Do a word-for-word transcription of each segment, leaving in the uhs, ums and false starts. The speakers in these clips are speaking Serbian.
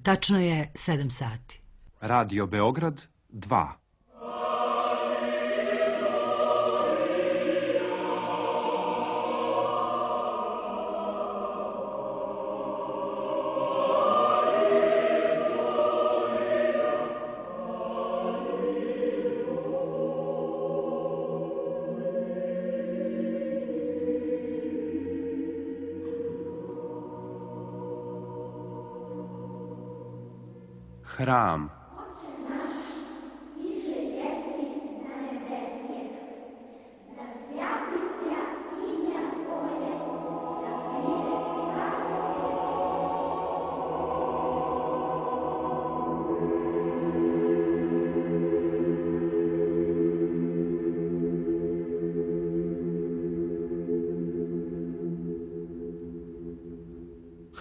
Tačno je sedam sati. Radio Beograd dva. Hram.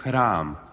Hram.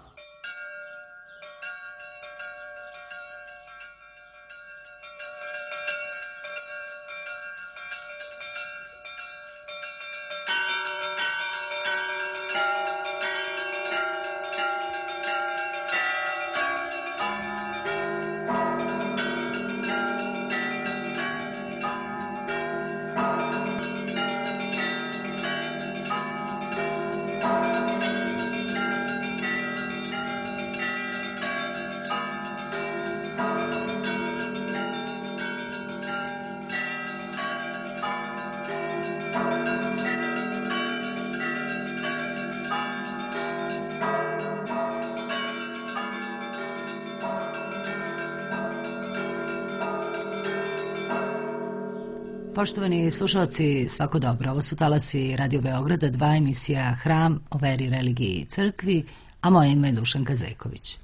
Poštovani slušalci, svako dobro. Ovo su talasi Radio Beograda, dva, emisija Hram o veri, religiji i crkvi, a moje ime je Dušanka Zeković.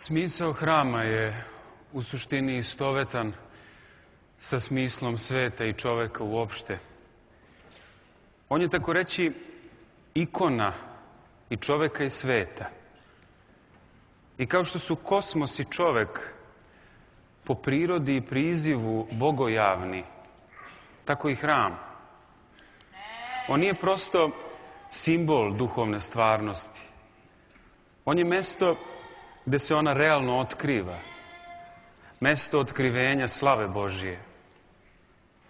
Smisao hrama je u suštini istovetan sa smislom sveta i čoveka uopšte. On je, tako reći, ikona i čoveka i sveta. I kao što su kosmos i čovek po prirodi i prizivu bogojavni, tako i hram. On nije prosto simbol duhovne stvarnosti. On je mesto gde se ona realno otkriva. Mesto otkrivenja slave Božije.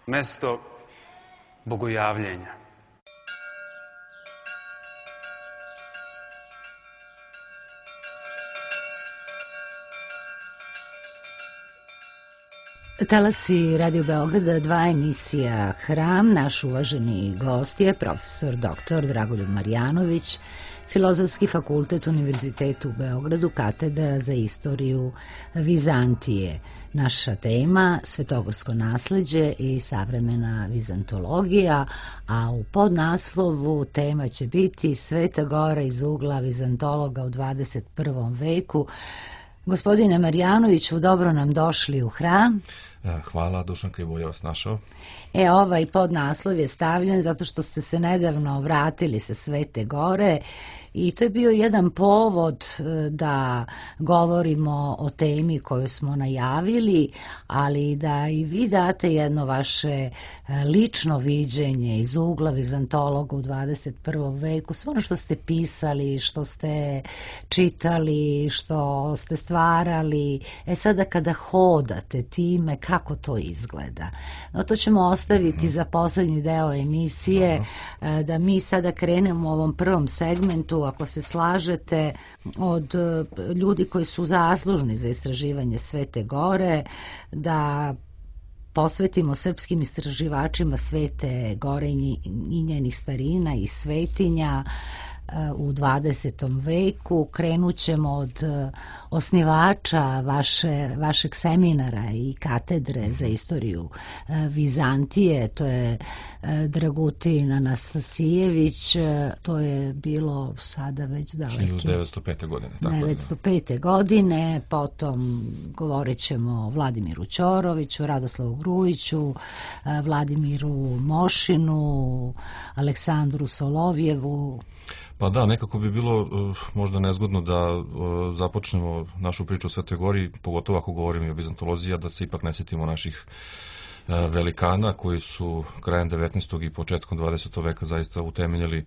Mesto bogojavljenja. Talasi Radio Beograda, dva, emisija Hram. Naš uvaženi gost je profesor doktor Dragoljub Marjanović, Filozofski fakultet Univerziteta u Beogradu, katedra za istoriju Vizantije. Naša tema svetogorsko nasleđe i savremena vizantologija, a u podnaslovu tema će biti Sveta Gora iz ugla vizantologa u dvadeset prvom veku. Gospodine Marjanoviću, dobro nam došli u Hram. Hvala, Dušanka, i bolje vas našao. E, ovaj podnaslov je stavljen zato što ste se nedavno vratili sa Svete Gore i to je bio jedan povod da govorimo o temi koju smo najavili, ali da i vi date jedno vaše lično viđenje iz ugla vizantologa u dvadeset prvom veku, sve ono što ste pisali, što ste čitali, što ste stvarali. E sada kada hodate time, kako to izgleda. No to ćemo ostaviti za poslednji deo emisije, Aha. da mi sada krenemo u ovom prvom segmentu, ako se slažete, od ljudi koji su zaslužni za istraživanje Svete Gore, da posvetimo srpskim istraživačima Svete Gore i njenih starina i svetinja u dvadesetom veku. Krenut ćemo od osnivača vaše, vašeg seminara i katedre za istoriju Vizantije, to je Dragutin Anastasijević. To je bilo sada već daleke hiljadu devetsto pete. godine. Tako devetsto pete. godine, potom govorit ćemo o Vladimiru Ćoroviću, Radoslavu Grujiću, Vladimiru Mošinu, Aleksandru Solovjevu. Pa da, nekako bi bilo uh, možda nezgodno da uh, započnemo našu priču o Svetoj Gori, pogotovo ako govorimo i o vizantologiji, a da se ipak ne sjetimo naših uh, velikana koji su krajem devetnaestog i početkom dvadesetog veka zaista utemeljili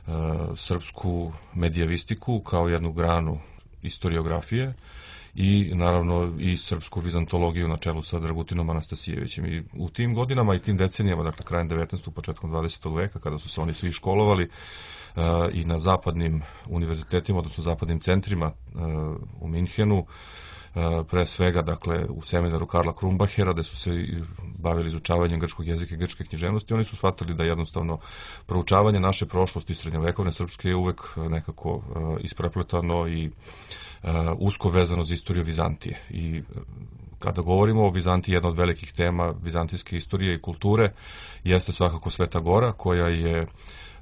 uh, srpsku medijavistiku kao jednu granu istoriografije i naravno i srpsku vizantologiju na čelu sa Dragutinom Anastasijevićem. I u tim godinama i tim decenijama, dakle krajem devetnaestog. početkom dvadesetog veka, kada su se oni svi školovali uh, i na zapadnim univerzitetima, odnosno zapadnim centrima uh, u Minhenu, uh, pre svega dakle u seminaru Karla Krumbachera, gde su se bavili izučavanjem grčkog jezika i grčke književnosti, oni su shvatili da jednostavno proučavanje naše prošlosti srednjovekovne srpske je uvek nekako uh, isprepletano i Uh, usko vezano za istoriju Vizantije. I uh, kada govorimo o Vizantiji, jedna od velikih tema vizantijske istorije i kulture jeste svakako Sveta Gora, koja je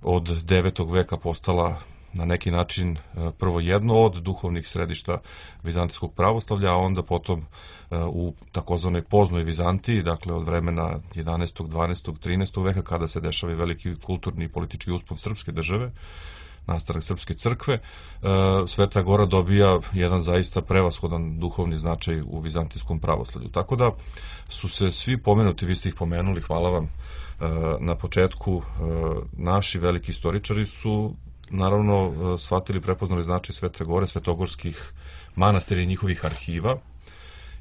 od devetog veka postala na neki način uh, prvo jedno od duhovnih središta vizantijskog pravoslavlja, a onda potom uh, u takozvanoj poznoj Vizantiji, dakle od vremena jedanaestog, dvanaestog, trinaestog veka, kada se dešava i veliki kulturni i politički uspon srpske države, nastanak srpske crkve, Sveta Gora dobija jedan zaista prevashodan duhovni značaj u vizantijskom pravoslavlju. Tako da su se svi pomenuti, vi ste ih pomenuli, hvala vam na početku, naši veliki istoričari su naravno shvatili, prepoznali značaj Svete Gore, svetogorskih manastira i njihovih arhiva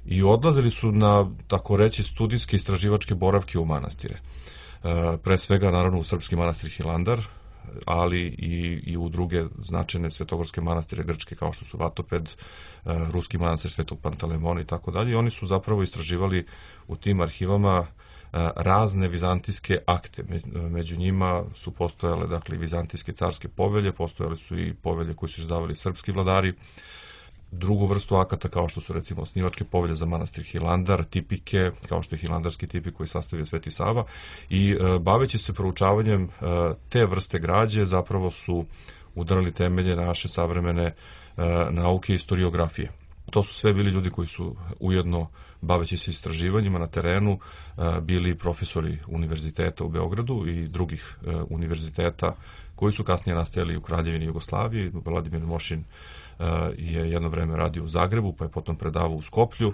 i odlazili su na, tako reći, studijske istraživačke boravke u manastire. Pre svega, naravno, u srpski manastir Hilandar, ali i, i u druge značajne svetogorske manastire grčke kao što su Vatoped, ruski manastir Svetog Pantalemona i tako dalje. I oni su zapravo istraživali u tim arhivama razne vizantijske akte. Među njima su postojale, dakle, vizantijske carske povelje, postojale su i povelje koje su izdavali srpski vladari, drugu vrstu akata kao što su recimo osnivačke povelje za manastir Hilandar, tipike, kao što je hilandarski tipik koji sastavio Sveti Sava i e, baveći se proučavanjem e, te vrste građe zapravo su udarali temelje naše savremene e, nauke i historiografije. To su sve bili ljudi koji su ujedno, baveći se istraživanjima na terenu, e, bili profesori univerziteta u Beogradu i drugih e, univerziteta koji su kasnije nastajali u Kraljevini Jugoslaviji. Vladimir Mošin je jedno vreme radio u Zagrebu, pa je potom predavao u Skoplju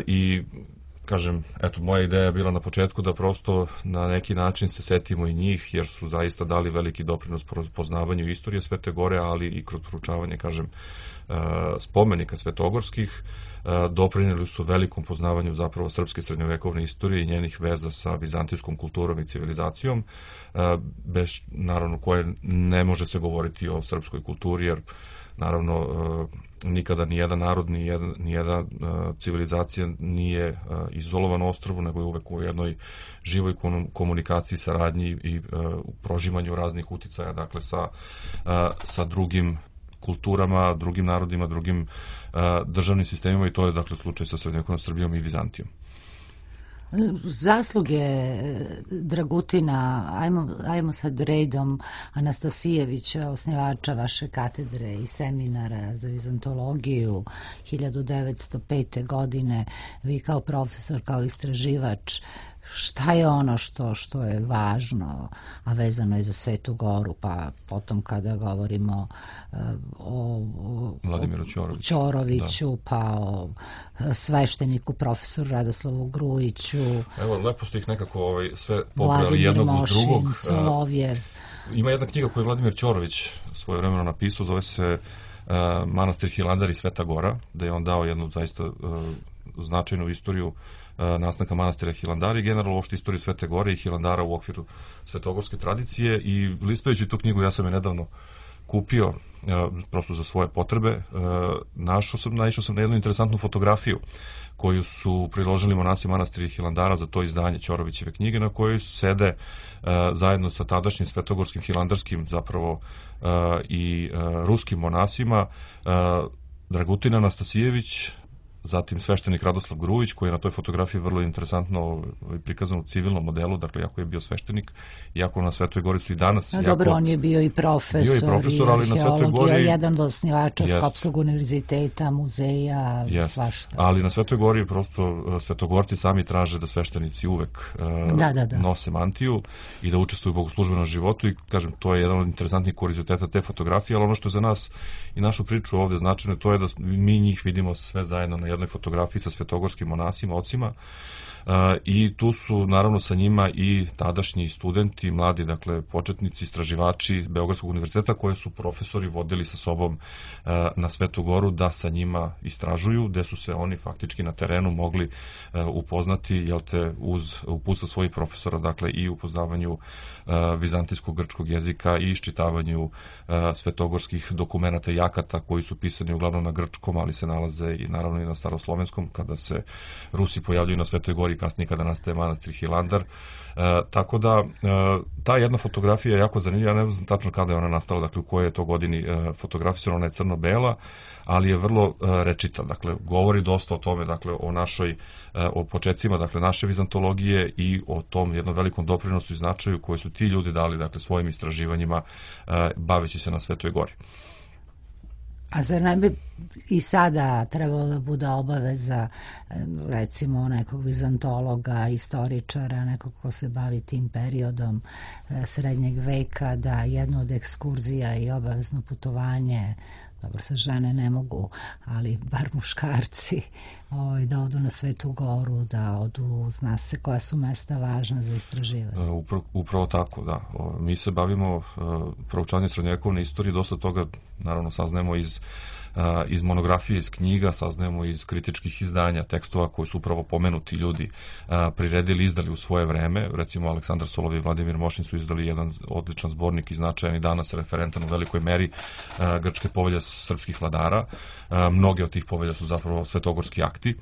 i kažem, eto, moja ideja je bila na početku da prosto na neki način se setimo i njih, jer su zaista dali veliki doprinos poznavanju istorije Svete Gore, ali i kroz proučavanje, kažem, spomenika svetogorskih, doprinijeli su velikom poznavanju zapravo srpske srednjovekovne istorije i njenih veza sa vizantijskom kulturom i civilizacijom, bez, naravno, koje ne može se govoriti o srpskoj kulturi, jer naravno nikada ni jedan narod, ni jedna, ni jedna civilizacija nije izolovan ostrvu, nego je uvek u jednoj živoj komunikaciji, saradnji i u proživanju raznih uticaja, dakle sa, sa drugim kulturama, drugim narodima, drugim uh, državnim sistemima i to je dakle slučaj sa srednjovekovnom Srbijom i Vizantijom. Zasluge Dragutina, ajmo, ajmo sad redom, Anastasijevića, osnivača vaše katedre i seminara za vizantologiju hiljadu devetsto pete. godine, vi kao profesor, kao istraživač, šta je ono što, što je važno, a vezano je za Svetu Goru, pa potom kada govorimo uh, o, o Vladimiru Ćoroviću, Ćoroviću da. Pa o svešteniku profesoru Radoslavu Grujiću. Evo, lepo ste ih nekako ovaj, sve pobrali jednog uz drugog. Mošin, Solovjev. Ima jedna knjiga koju je Vladimir Ćorović svoje vremeno napisao, zove se uh, Manastir Hilandar i Sveta Gora, da je on dao jednu zaista uh, značajnu istoriju nastanka manastira Hilandara i generalno uopšte istoriju Svete Gore i Hilandara u okviru svetogorske tradicije. I listajući tu knjigu, ja sam je nedavno kupio prosto za svoje potrebe, našao sam, naišao sam na jednu interesantnu fotografiju koju su priložili monasi manastira Hilandara za to izdanje Ćorovićeve knjige, na kojoj sede zajedno sa tadašnjim svetogorskim hilandarskim zapravo i ruskim monasima Dragutin Anastasijević, zatim sveštenik Radoslav Grujić, koji je na toj fotografiji vrlo interesantno prikazan u civilnom modelu, dakle, jako je bio sveštenik, iako na Svetoj Gori su i danas... No, jako, dobro, on je bio i profesor, bio i, profesor, i ali na Svetoj Gori, jedan od osnivača jest, Skopskog univerziteta, muzeja, jest, svašta. Ali na Svetoj Gori prosto svetogorci sami traže da sveštenici uvek uh, da, da, da. nose mantiju i da učestvuju u bogoslužbenom životu i, kažem, to je jedan od interesantnih kurioziteta te fotografije, ali ono što je za nas i našu priču ovde značajno, to je da mi njih vidimo sve zajedno na jednoj fotografiji sa svetogorskim monasima, ocima, uh, i tu su naravno sa njima i tadašnji studenti, mladi, dakle, početnici, istraživači Beogradskog univerziteta koje su profesori vodili sa sobom uh, na Svetu Goru da sa njima istražuju, gde su se oni faktički na terenu mogli uh, upoznati, jel te, uz uputstva svojih profesora, dakle, i upoznavanju uh, vizantijskog grčkog jezika i iščitavanju uh, svetogorskih dokumenata i akata koji su pisani uglavnom na grčkom, ali se nalaze i naravno i na staroslovenskom, kada se Rusi pojavljuju na Svetoj Gori, kasnije kada nastaje manastir Hilandar. E, tako da, e, ta jedna fotografija je jako zanimljiva, ja ne znam tačno kada je ona nastala, dakle u kojoj je to godini e, fotografisana, ona je crno-bela, ali je vrlo e, rečita, dakle govori dosta o tome, dakle o našoj, e, o počecima, dakle naše vizantologije i o tom jednom velikom doprinosu i značaju koje su ti ljudi dali, dakle svojim istraživanjima e, baveći se na Svetoj Gori. A zar ne bi i sada trebalo da bude obaveza, recimo, nekog vizantologa, istoričara, nekog ko se bavi tim periodom srednjeg veka, da jedno od ekskurzija i obavezno putovanje, dobro, sa žene ne mogu, ali bar muškarci, ovaj, da odu na Svetu Goru, da odu, zna se koja su mesta važna za istraživanje. Upravo, upravo tako, da. Mi se bavimo proučavanjem srednjovekovne istorije, dosta toga naravno saznajemo iz iz monografije, iz knjiga, saznajemo iz kritičkih izdanja, tekstova koji su upravo pomenuti ljudi priredili, izdali u svoje vreme. Recimo, Aleksandar Solov i Vladimir Mošin su izdali jedan odličan zbornik i značajan i danas referentan u velikoj meri grčke povelje srpskih vladara. Mnoge od tih povelja su zapravo svetogorski akti.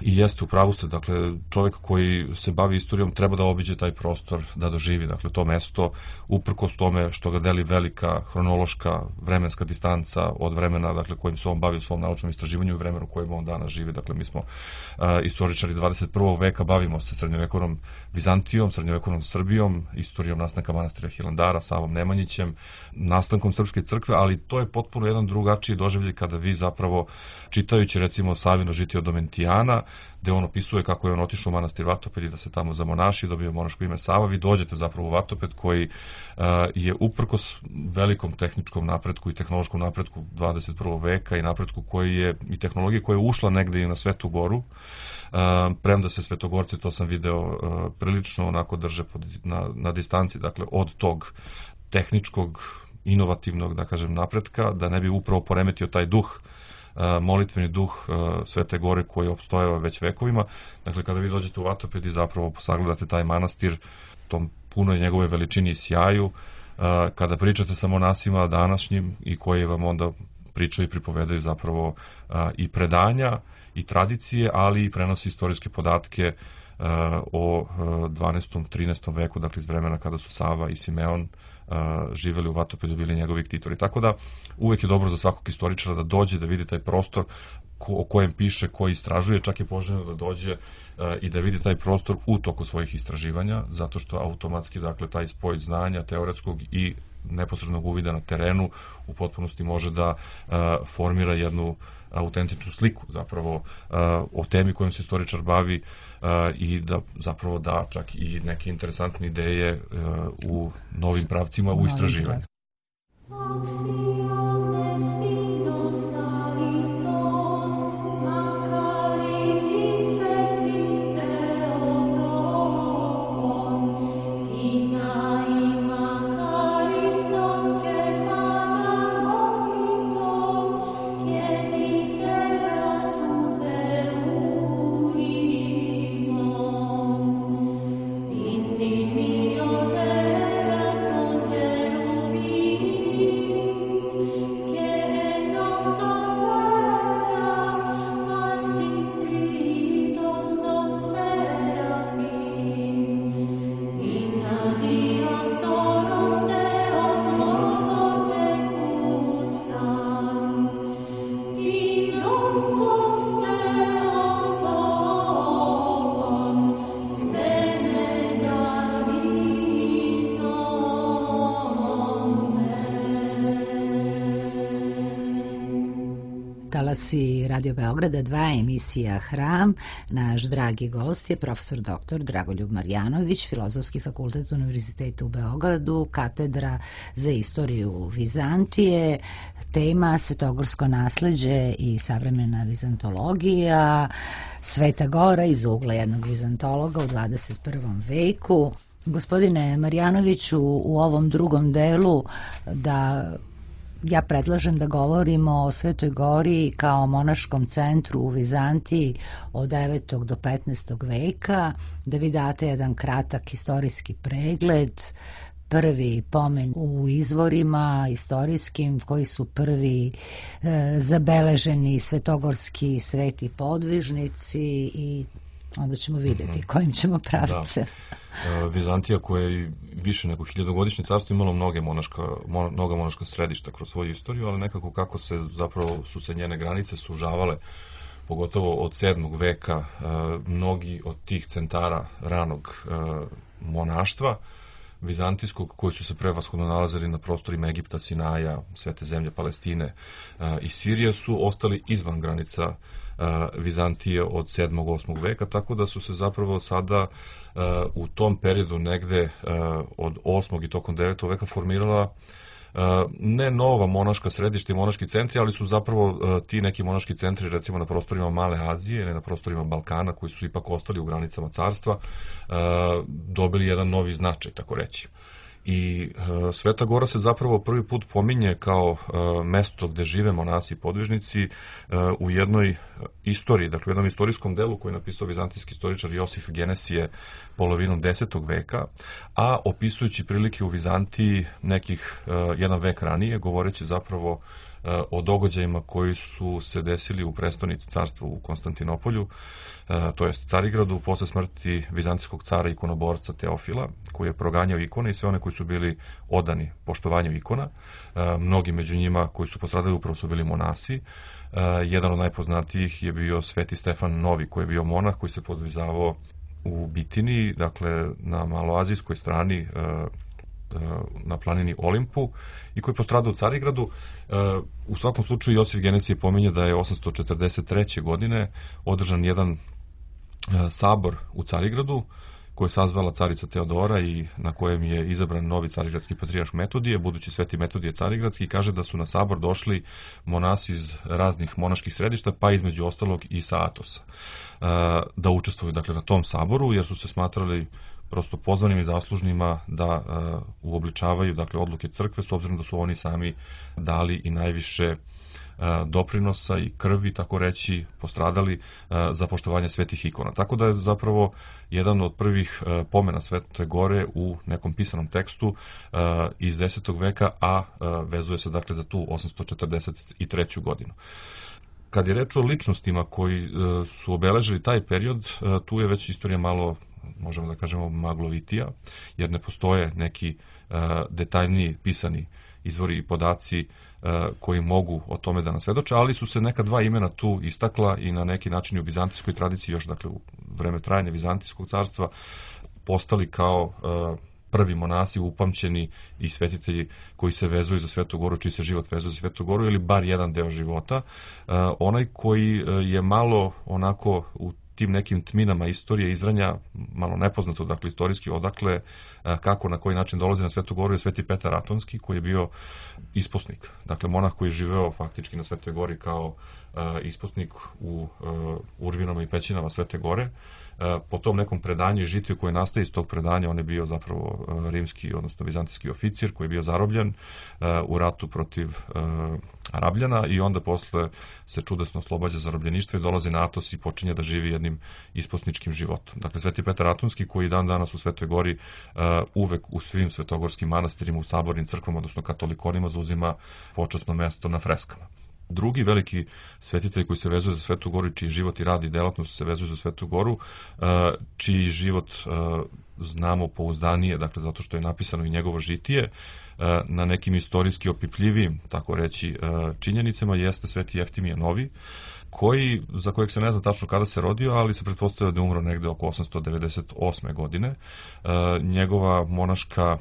I jeste, u pravu ste, dakle, čovjek koji se bavi istorijom treba da obiđe taj prostor, da doživi, dakle, to mesto, uprkos tome što ga deli velika hronološka vremenska distanca od vremena, dakle, kojim se on bavi u svom naučnom istraživanju i vremenu u kojem on danas živi. Dakle, mi smo uh, istoričari dvadeset prvog veka, bavimo se srednjovekovnom Vizantijom, srednjovekovnom Srbijom, istorijom nastanka manastira Hilandara, Savom Nemanjićem, nastankom Srpske crkve, ali to je potpuno jedan drugačiji doživljaj kada vi zapravo, čitajući recimo Savino žitije od Domentijana, gde on opisuje kako je on otišao u manastir Vatoped i da se tamo zamonaši, dobio monaško ime Sava, vi dođete zapravo u Vatoped koji uh, je uprkos velikom tehničkom napretku i tehnološkom napretku dvadeset prvog veka i napretku koji je, i tehnologije koja je ušla negde i na Svetu Goru, uh, premda se svetogorci, to sam video, uh, prilično onako drže pod, na, na distanci, dakle od tog tehničkog, inovativnog, da kažem, napretka, da ne bi upravo poremetio taj duh, molitveni duh Svete Gore koji je opstojao već vekovima. Dakle, kada vi dođete u Vatoped i zapravo sagledate taj manastir, tom punoj njegove veličini i sjaju, kada pričate sa monasima današnjim i koji vam onda pričaju i pripovedaju zapravo i predanja i tradicije, ali i prenosi istorijske podatke o dvanaestom trinaestom veku, dakle iz vremena kada su Sava i Simeon živeli u Vatopedu, bili njegovi ktitori. Tako da uvek je dobro za svakog istoričara da dođe, da vidi taj prostor ko, o kojem piše, koji istražuje, čak je poželjno da dođe uh, i da vidi taj prostor u toku svojih istraživanja, zato što automatski, dakle, taj spoj znanja teoretskog i neposrednog uvida na terenu u potpunosti može da uh, formira jednu autentičnu sliku zapravo uh, o temi kojom se istoričar bavi uh, i da zapravo da čak i neke interesantne ideje uh, u novim pravcima u istraživanju. slušaoci Radio Beograda dva, emisija Hram. Naš dragi gost je profesor doktor Dragoljub Marjanović, Filozofski fakultet Univerziteta u Beogradu, katedra za istoriju Vizantije, tema svetogorsko nasleđe i savremena vizantologija, Sveta Gora iz ugla jednog vizantologa u dvadeset prvom veku. Gospodine Marjanoviću, u ovom drugom delu da ja predlažem da govorimo o Svetoj Gori kao monaškom centru u Vizantiji od devetog do petnaestog veka, da vi date jedan kratak istorijski pregled, prvi pomen u izvorima istorijskim, koji su prvi e, zabeleženi svetogorski sveti podvižnici i onda ćemo vidjeti kojim ćemo pravce. Da. Vizantija koja je više nego hiljadogodišnje carstvo imalo mnoge monaška, mnoga monaška središta kroz svoju istoriju, ali nekako kako se zapravo su se njene granice sužavale, pogotovo od sedmog veka, mnogi od tih centara ranog monaštva vizantijskog, koji su se prevashodno nalazili na prostorima Egipta, Sinaja, Svete zemlje, Palestine i Sirije, su ostali izvan granica Vizantije od sedmog osmog veka, tako da su se zapravo sada u tom periodu negde od osmog i tokom devetog veka formirala ne nova monaška središta i monaški centri, ali su zapravo ti neki monaški centri, recimo na prostorima Male Azije ili na prostorima Balkana, koji su ipak ostali u granicama carstva, dobili jedan novi značaj, tako reći. I e, Sveta Gora se zapravo prvi put pominje kao e, mesto gde žive monasi i podvižnici e, u jednoj istoriji, dakle u jednom istorijskom delu koji je napisao vizantijski istoričar Josif Genesije polovinom desetog veka, a opisujući prilike u Vizantiji nekih e, jedan vek ranije, govoreći zapravo e, o događajima koji su se desili u prestonici carstva u Konstantinopolju, to jest Carigradu, posle smrti vizantijskog cara ikonoborca Teofila, koji je proganjao ikone i sve one koji su bili odani poštovanju ikona. Mnogi među njima koji su postradali upravo su bili monasi. Jedan od najpoznatijih je bio Sveti Stefan Novi, koji je bio monah koji se podvizavao u Bitiniji, dakle na maloazijskoj strani, na planini Olimpu, i koji je postradao u Carigradu. U svakom slučaju Josif Genesije pominje da je osamsto četrdeset treće. godine održan jedan sabor u Carigradu koje je sazvala carica Teodora i na kojem je izabran novi carigradski patrijarh Metodije, budući Sveti Metodije Carigradski, i kaže da su na sabor došli monasi iz raznih monaških središta, pa između ostalog i sa Atosa, da učestvuju dakle na tom saboru, jer su se smatrali prosto pozvanim i zaslužnima da uh, uobličavaju dakle odluke crkve, s obzirom da su oni sami dali i najviše uh, doprinosa i krvi, tako reći, postradali uh, za poštovanje svetih ikona. Tako da je zapravo jedan od prvih uh, pomena Svete Gore u nekom pisanom tekstu uh, iz desetog veka, a uh, vezuje se dakle za tu osamsto četrdeset treću. godinu. Kad je reč o ličnostima koji uh, su obeležili taj period, uh, tu je već istorija malo, možemo da kažemo, maglovitija, jer ne postoje neki uh, detaljniji pisani izvori i podaci uh, koji mogu o tome da nas svedoče, ali su se neka dva imena tu istakla i na neki način u vizantijskoj tradiciji, još dakle u vreme trajanja Vizantijskog carstva, postali kao uh, prvi monasi upamćeni i svetitelji koji se vezuju za Svetu Goru, čiji se život vezuje za Svetu Goru, ili bar jedan deo života. Uh, onaj koji uh, je malo onako u tim nekim tminama istorije izranja, malo nepoznato, dakle istorijski odakle, kako, na koji način dolazi na Svetu Goru, je Sveti Petar Atonski, koji je bio isposnik. Dakle, monah koji je živeo faktički na Svetoj Gori kao uh, isposnik u uh, urvinama i pećinama Svete Gore. Uh, po tom nekom predanju i žitiju koje nastaje iz tog predanja, on je bio zapravo uh, rimski, odnosno vizantijski oficir koji je bio zarobljen uh, u ratu protiv uh, Arabljana, i onda posle se čudesno oslobađa zarobljeništva i dolazi na Atos i počinje da živi jednim isposničkim životom. Dakle, Sveti Petar Atonski, koji dan danas u Svetoj Gori uh, uvek u svim svetogorskim manastirima, u sabornim crkvama, odnosno katolikonima, zauzima počasno mesto na freskama. Drugi veliki svetitelj koji se vezuje za Svetu Goru, čiji život i rad i delatnost se vezuju za Svetu Goru, čiji život znamo pouzdanije, dakle zato što je napisano i njegovo žitije, na nekim istorijski opipljivim, tako reći, činjenicama, jeste Sveti Jeftimije Novi, koji, za kojeg se ne zna tačno kada se rodio, ali se pretpostavlja da je umro negde oko osamsto devedeset osme. godine. Njegova monaška,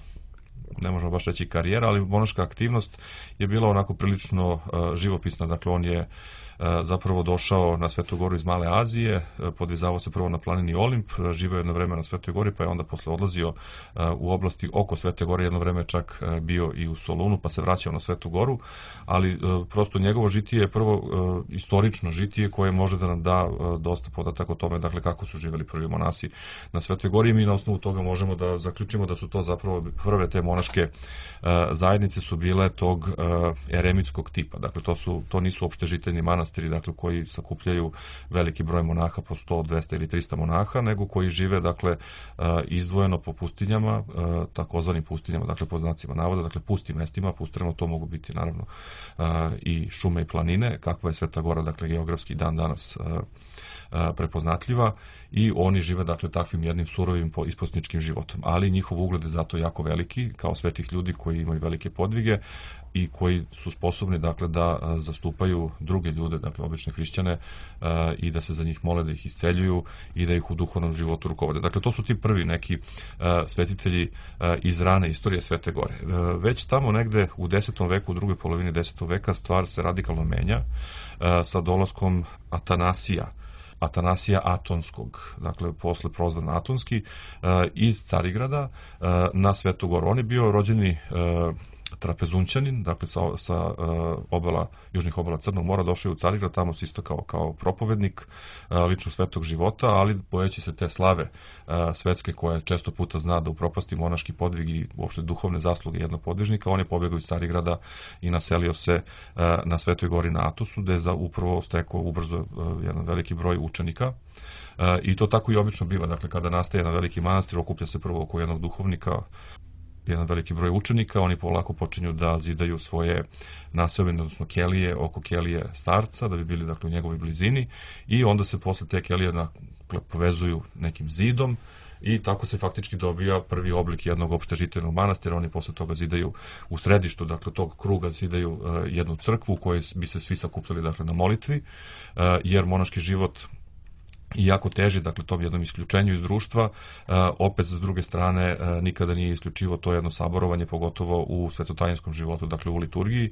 ne možemo baš reći karijera, ali monaška aktivnost je bila onako prilično uh, živopisna. Dakle, on je zapravo došao na Svetu Goru iz Male Azije, podvizavao se prvo na planini Olimp, živeo jedno vreme na Svetoj Gori, pa je onda posle odlazio u oblasti oko Svete Gore, jedno vreme čak bio i u Solunu, pa se vraćao na Svetu Goru, ali prosto njegovo žitije je prvo istorično žitije koje može da nam da dosta podataka o tome, dakle, kako su živeli prvi monasi na Svetoj Gori, i mi na osnovu toga možemo da zaključimo da su to zapravo prve te monaške zajednice su bile tog eremitskog tipa. Dakle, to su to nisu opštežiteljni manastiri, dakle, koji sakupljaju veliki broj monaha, po sto, dvesta ili trista monaha, nego koji žive, dakle, izdvojeno po pustinjama, takozvanim pustinjama, dakle, po znacima navoda, dakle, pustim mestima, pustinjama, to mogu biti, naravno, i šume i planine, kakva je Sveta Gora, dakle, geografski dan danas prepoznatljiva, i oni žive, dakle, takvim jednim surovim isposničkim životom. Ali njihov ugled je zato jako veliki, kao svetih ljudi koji imaju velike podvige i koji su sposobni, dakle, da zastupaju druge ljude, dakle, obične hrišćane, i da se za njih mole, da ih isceljuju i da ih u duhovnom životu rukovode. Dakle, to su ti prvi neki svetitelji iz rane istorije Svete Gore. Već tamo negde u desetom veku, u drugoj polovini desetog veka, stvar se radikalno menja sa dolaskom Atanasija, Atanasija Atonskog, dakle, posle prozvan Atonski, iz Carigrada na Svetu Goru. On je bio rođeni Trapezunčanin, dakle, sa, sa obala, južnih obala Crnog mora, došao je u Carigrad, tamo se isto kao, kao propovednik lično svetog života, ali bojeći se te slave svetske koja često puta zna da upropasti monaški podvig i uopšte duhovne zasluge jednog podvižnika, on je pobegao iz Carigrada i naselio se na Svetoj Gori na Atosu, gde je za upravo stekao ubrzo jedan veliki broj učenika. I to tako i obično biva, dakle, kada nastaje jedan veliki manastir, okuplja se prvo oko jednog duhovnika, jedan veliki broj učenika, oni polako počinju da zidaju svoje naseobine, odnosno kelije, oko kelije starca, da bi bili, dakle, u njegovoj blizini, i onda se posle te kelije, dakle, povezuju nekim zidom, i tako se faktički dobija prvi oblik jednog opštežiteljnog manastira. Oni posle toga zidaju u središtu, dakle, tog kruga zidaju uh, jednu crkvu u kojoj bi se svi sakupljali, dakle, na molitvi, uh, jer monaški život i jako teži, dakle, tom jednom isključenju iz društva, opet, s druge strane, nikada nije isključivo to jedno saborovanje, pogotovo u svetotajinskom životu, dakle, u liturgiji,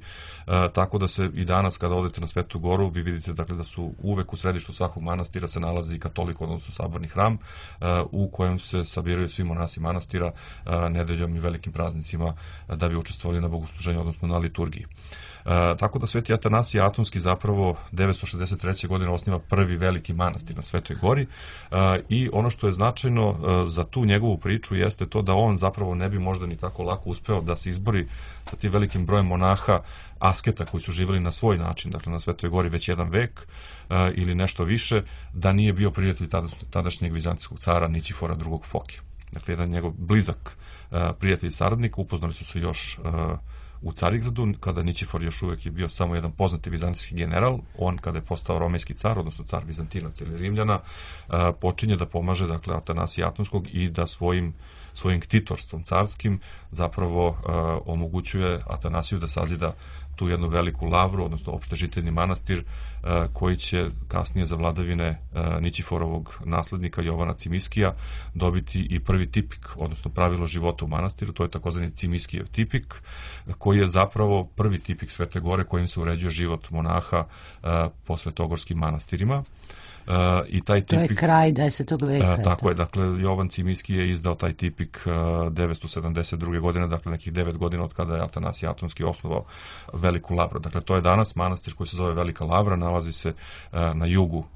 tako da se i danas, kada odete na Svetu Goru, vi vidite, dakle, da su uvek u središtu svakog manastira se nalazi katolik, odnosno saborni hram, u kojem se sabiraju svi monasi manastira nedeljom i velikim praznicima da bi učestvovali na bogosluženju, odnosno na liturgiji. E, tako da Sveti Atanasije Atonski zapravo devetsto šezdeset treće. godine osniva prvi veliki manastir na Svetoj Gori, e, i ono što je značajno e, za tu njegovu priču jeste to da on zapravo ne bi možda ni tako lako uspeo da se izbori sa tim velikim brojem monaha, asketa koji su živjeli na svoj način, dakle, na Svetoj Gori već jedan vek e, ili nešto više, da nije bio prijatelj tadašnjeg vizantijskog cara Nićifora drugog Foke. Dakle, jedan njegov blizak e, prijatelj i saradnik, upoznali su se još e, u Carigradu, kada Nićifor još uvek je bio samo jedan poznati vizantijski general. On, kada je postao romejski car, odnosno car Vizantinac ili Rimljana, počinje da pomaže, dakle, Atanasija Atonskog i da svojim svojim ktitorstvom carskim zapravo omogućuje Atanasiju da sazida tu jednu veliku lavru, odnosno opštežiteljni manastir, koji će kasnije za vladavine Nićiforovog naslednika Jovana Cimiskija dobiti i prvi tipik, odnosno pravilo života u manastiru. To je takozvani Cimiskijev tipik, koji je zapravo prvi tipik Svete Gore kojim se uređuje život monaha po svetogorskim manastirima. Uh, i taj tipik, to je kraj desetog veka. Uh, tako je, dakle, Jovan Cimiski je izdao taj tipik uh, devetsto sedamdeset druge. godine, dakle, nekih devet godina od kada je Atanasije Atonski osnovao Veliku lavru. Dakle, to je danas manastir koji se zove Velika lavra, nalazi se uh, na jugu uh,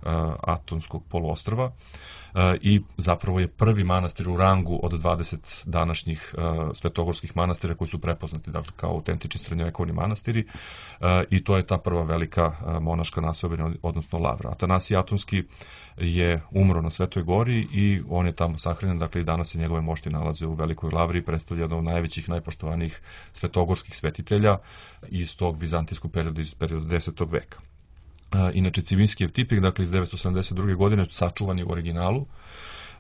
Atonskog poluostrva. Uh, i zapravo je prvi manastir u rangu od dvadeset današnjih uh, svetogorskih manastira koji su prepoznati, dakle, kao autentični srednjovekovni manastiri, uh, i to je ta prva velika uh, monaška naseobina, odnosno lavra. Atanasije Atonski je umro na Svetoj Gori i on je tamo sahranjen, dakle, i danas se njegove mošti nalaze u Velikoj lavri i predstavlja jedno od najvećih, najpoštovanijih svetogorskih svetitelja iz tog vizantijskog perioda, iz perioda desetog veka. Inače, Cimiskijev tipik, dakle, iz devetsto sedamdeset druge. godine, sačuvan je u originalu.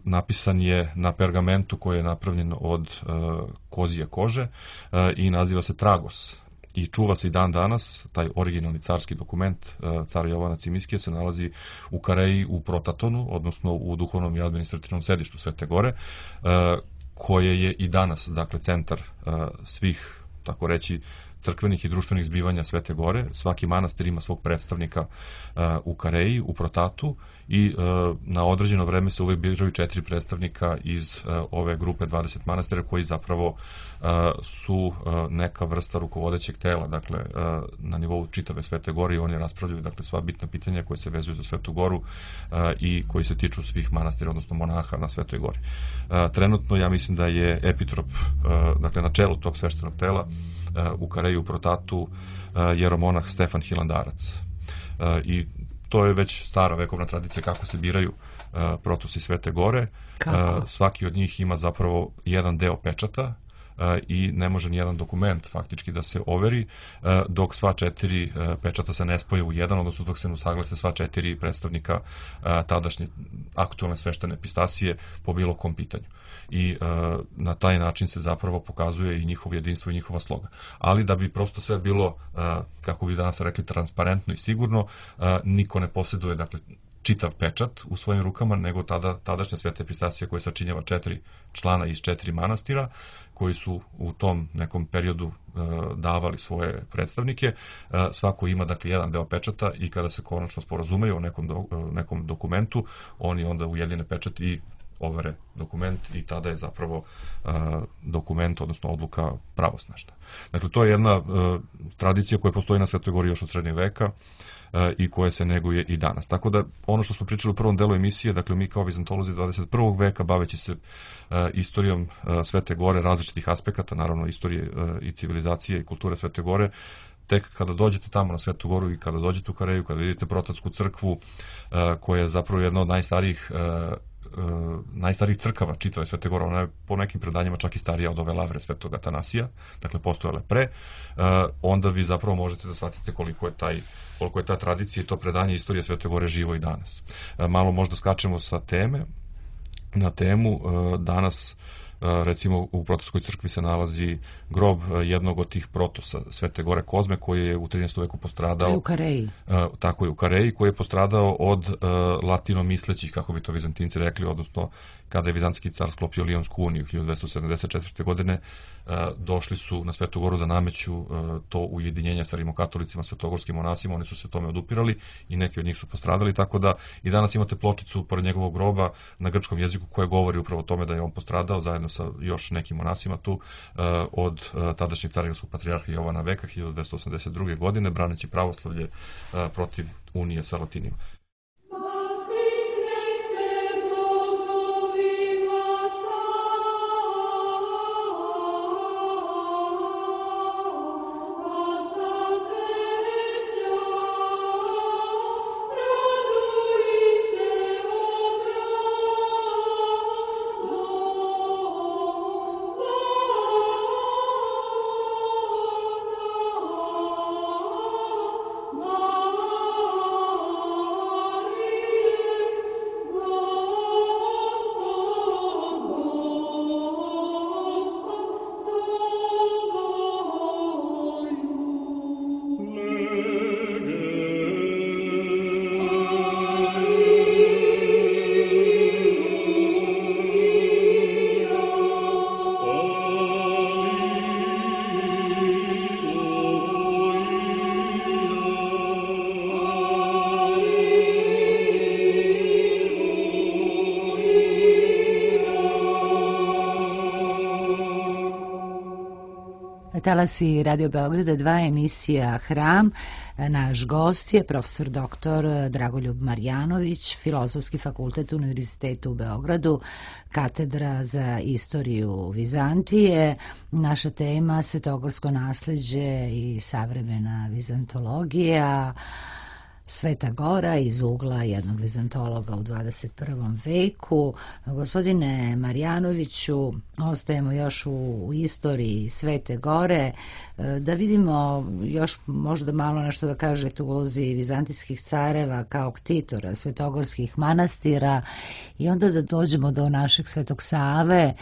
Napisan je na pergamentu koji je napravljen od uh, kozije kože uh, i naziva se Tragos. I čuva se i dan danas, taj originalni carski dokument uh, cara Jovana Cimiskija se nalazi u Kareji, u Protatonu, odnosno u duhovnom i administrativnom sedištu Svete Gore, uh, koje je i danas, dakle, centar uh, svih, tako reći, crkvenih i društvenih zbivanja Svete Gore. Svaki manastir ima svog predstavnika uh, u Kareji, u Protatu i uh, na određeno vreme se uvek biraju četiri predstavnika iz uh, ove grupe dvadeset manastira koji zapravo uh, su uh, neka vrsta rukovodećeg tela, dakle uh, na nivou čitave Svete Gore i oni raspravljaju dakle sva bitna pitanja koje se vezuju za Svetu Goru uh, i koji se tiču svih manastira, odnosno monaha na Svetoj Gori. Uh, trenutno ja mislim da je epitrop, uh, dakle na čelu tog sveštenog tela uh, u Kareji, u Protatu, uh, jeromonah Stefan Hilandarac. Uh, I to je već stara vekovna tradicija kako se biraju uh, protosi Svete Gore. Uh, svaki od njih ima zapravo jedan deo pečata uh, i ne može ni jedan dokument faktički da se overi uh, dok sva četiri uh, pečata se ne spoje u jedan, odnosno dok se ne usaglase sva četiri predstavnika uh, tadašnje aktualne sveštene epistasije po bilo kom pitanju. I uh, na taj način se zapravo pokazuje i njihovo jedinstvo i njihova sloga. Ali da bi prosto sve bilo, uh, kako bi danas rekli, transparentno i sigurno, uh, niko ne posjeduje, dakle, čitav pečat u svojim rukama, nego tada, tadašnja sveta epistasija koja sačinjava četiri člana iz četiri manastira, koji su u tom nekom periodu uh, davali svoje predstavnike. Uh, svako ima, dakle, jedan deo pečata i kada se konačno sporazumeju o nekom, do, uh, nekom dokumentu, oni onda ujedine pečat i overe dokument i tada je zapravo uh, dokument, odnosno odluka pravosnažna. Dakle, to je jedna uh, tradicija koja postoji na Svetoj Gori još od srednjeg veka uh, i koja se neguje i danas. Tako da, ono što smo pričali u prvom delu emisije, dakle, mi kao vizantolozi dvadeset prvog veka, baveći se uh, istorijom uh, Svete Gore, različitih aspekata, naravno, istorije uh, i civilizacije i kulture Svete Gore, tek kada dođete tamo na Svetu Goru i kada dođete u Kareju, kada vidite Protatsku crkvu, uh, koja je zapravo jedna od najstarijih uh, Uh, najstarijih crkava čitave Svete Gore, ona je po nekim predanjima čak i starija od ove lavre Svetog Atanasija, dakle postojale pre, uh, onda vi zapravo možete da shvatite koliko je taj koliko je ta tradicija i to predanje istorije Svete Gore živo i danas. Uh, malo možda skačemo sa teme na temu. Uh, danas recimo u Protestskoj crkvi se nalazi grob jednog od tih protosa Svete Gore Kozme, koji je u trinaestom veku postradao. U Kareji. Tako je, u Kareji, koji je postradao od uh, latinomislećih, kako bi to Vizantinci rekli, odnosno kada je Vizantski car sklopio Lionsku uniju hiljadu dvesta sedamdeset četvrte. godine, uh, došli su na Svetu Goru da nameću uh, to ujedinjenje sa rimokatolicima, svetogorskim monasima, oni su se tome odupirali i neki od njih su postradali, tako da i danas imate pločicu pored njegovog groba na grčkom jeziku koja govori upravo o tome da je on postradao zajedno sa još nekim monasima tu uh, od uh, tadašnjeg carigradskog patrijarha Jovana Veka hiljadu dvesta osamdeset druge. godine, braneći pravoslavlje uh, protiv unije sa Latinima. Talasi Radio Beograda dva, emisija Hram. Naš gost je profesor doktor Dragoljub Marjanović, Filozofski fakultet Univerziteta u Beogradu, katedra za istoriju Vizantije. Naša tema svetogorsko nasleđe i savremena vizantologija. Sveta Gora iz ugla jednog vizantologa u dvadeset prvom veku. Gospodine Marjanoviću, ostajemo još u, u istoriji Svete Gore, da vidimo još možda malo nešto da kažete u ulozi vizantijskih careva kao ktitora svetogorskih manastira i onda da dođemo do našeg Svetog Save,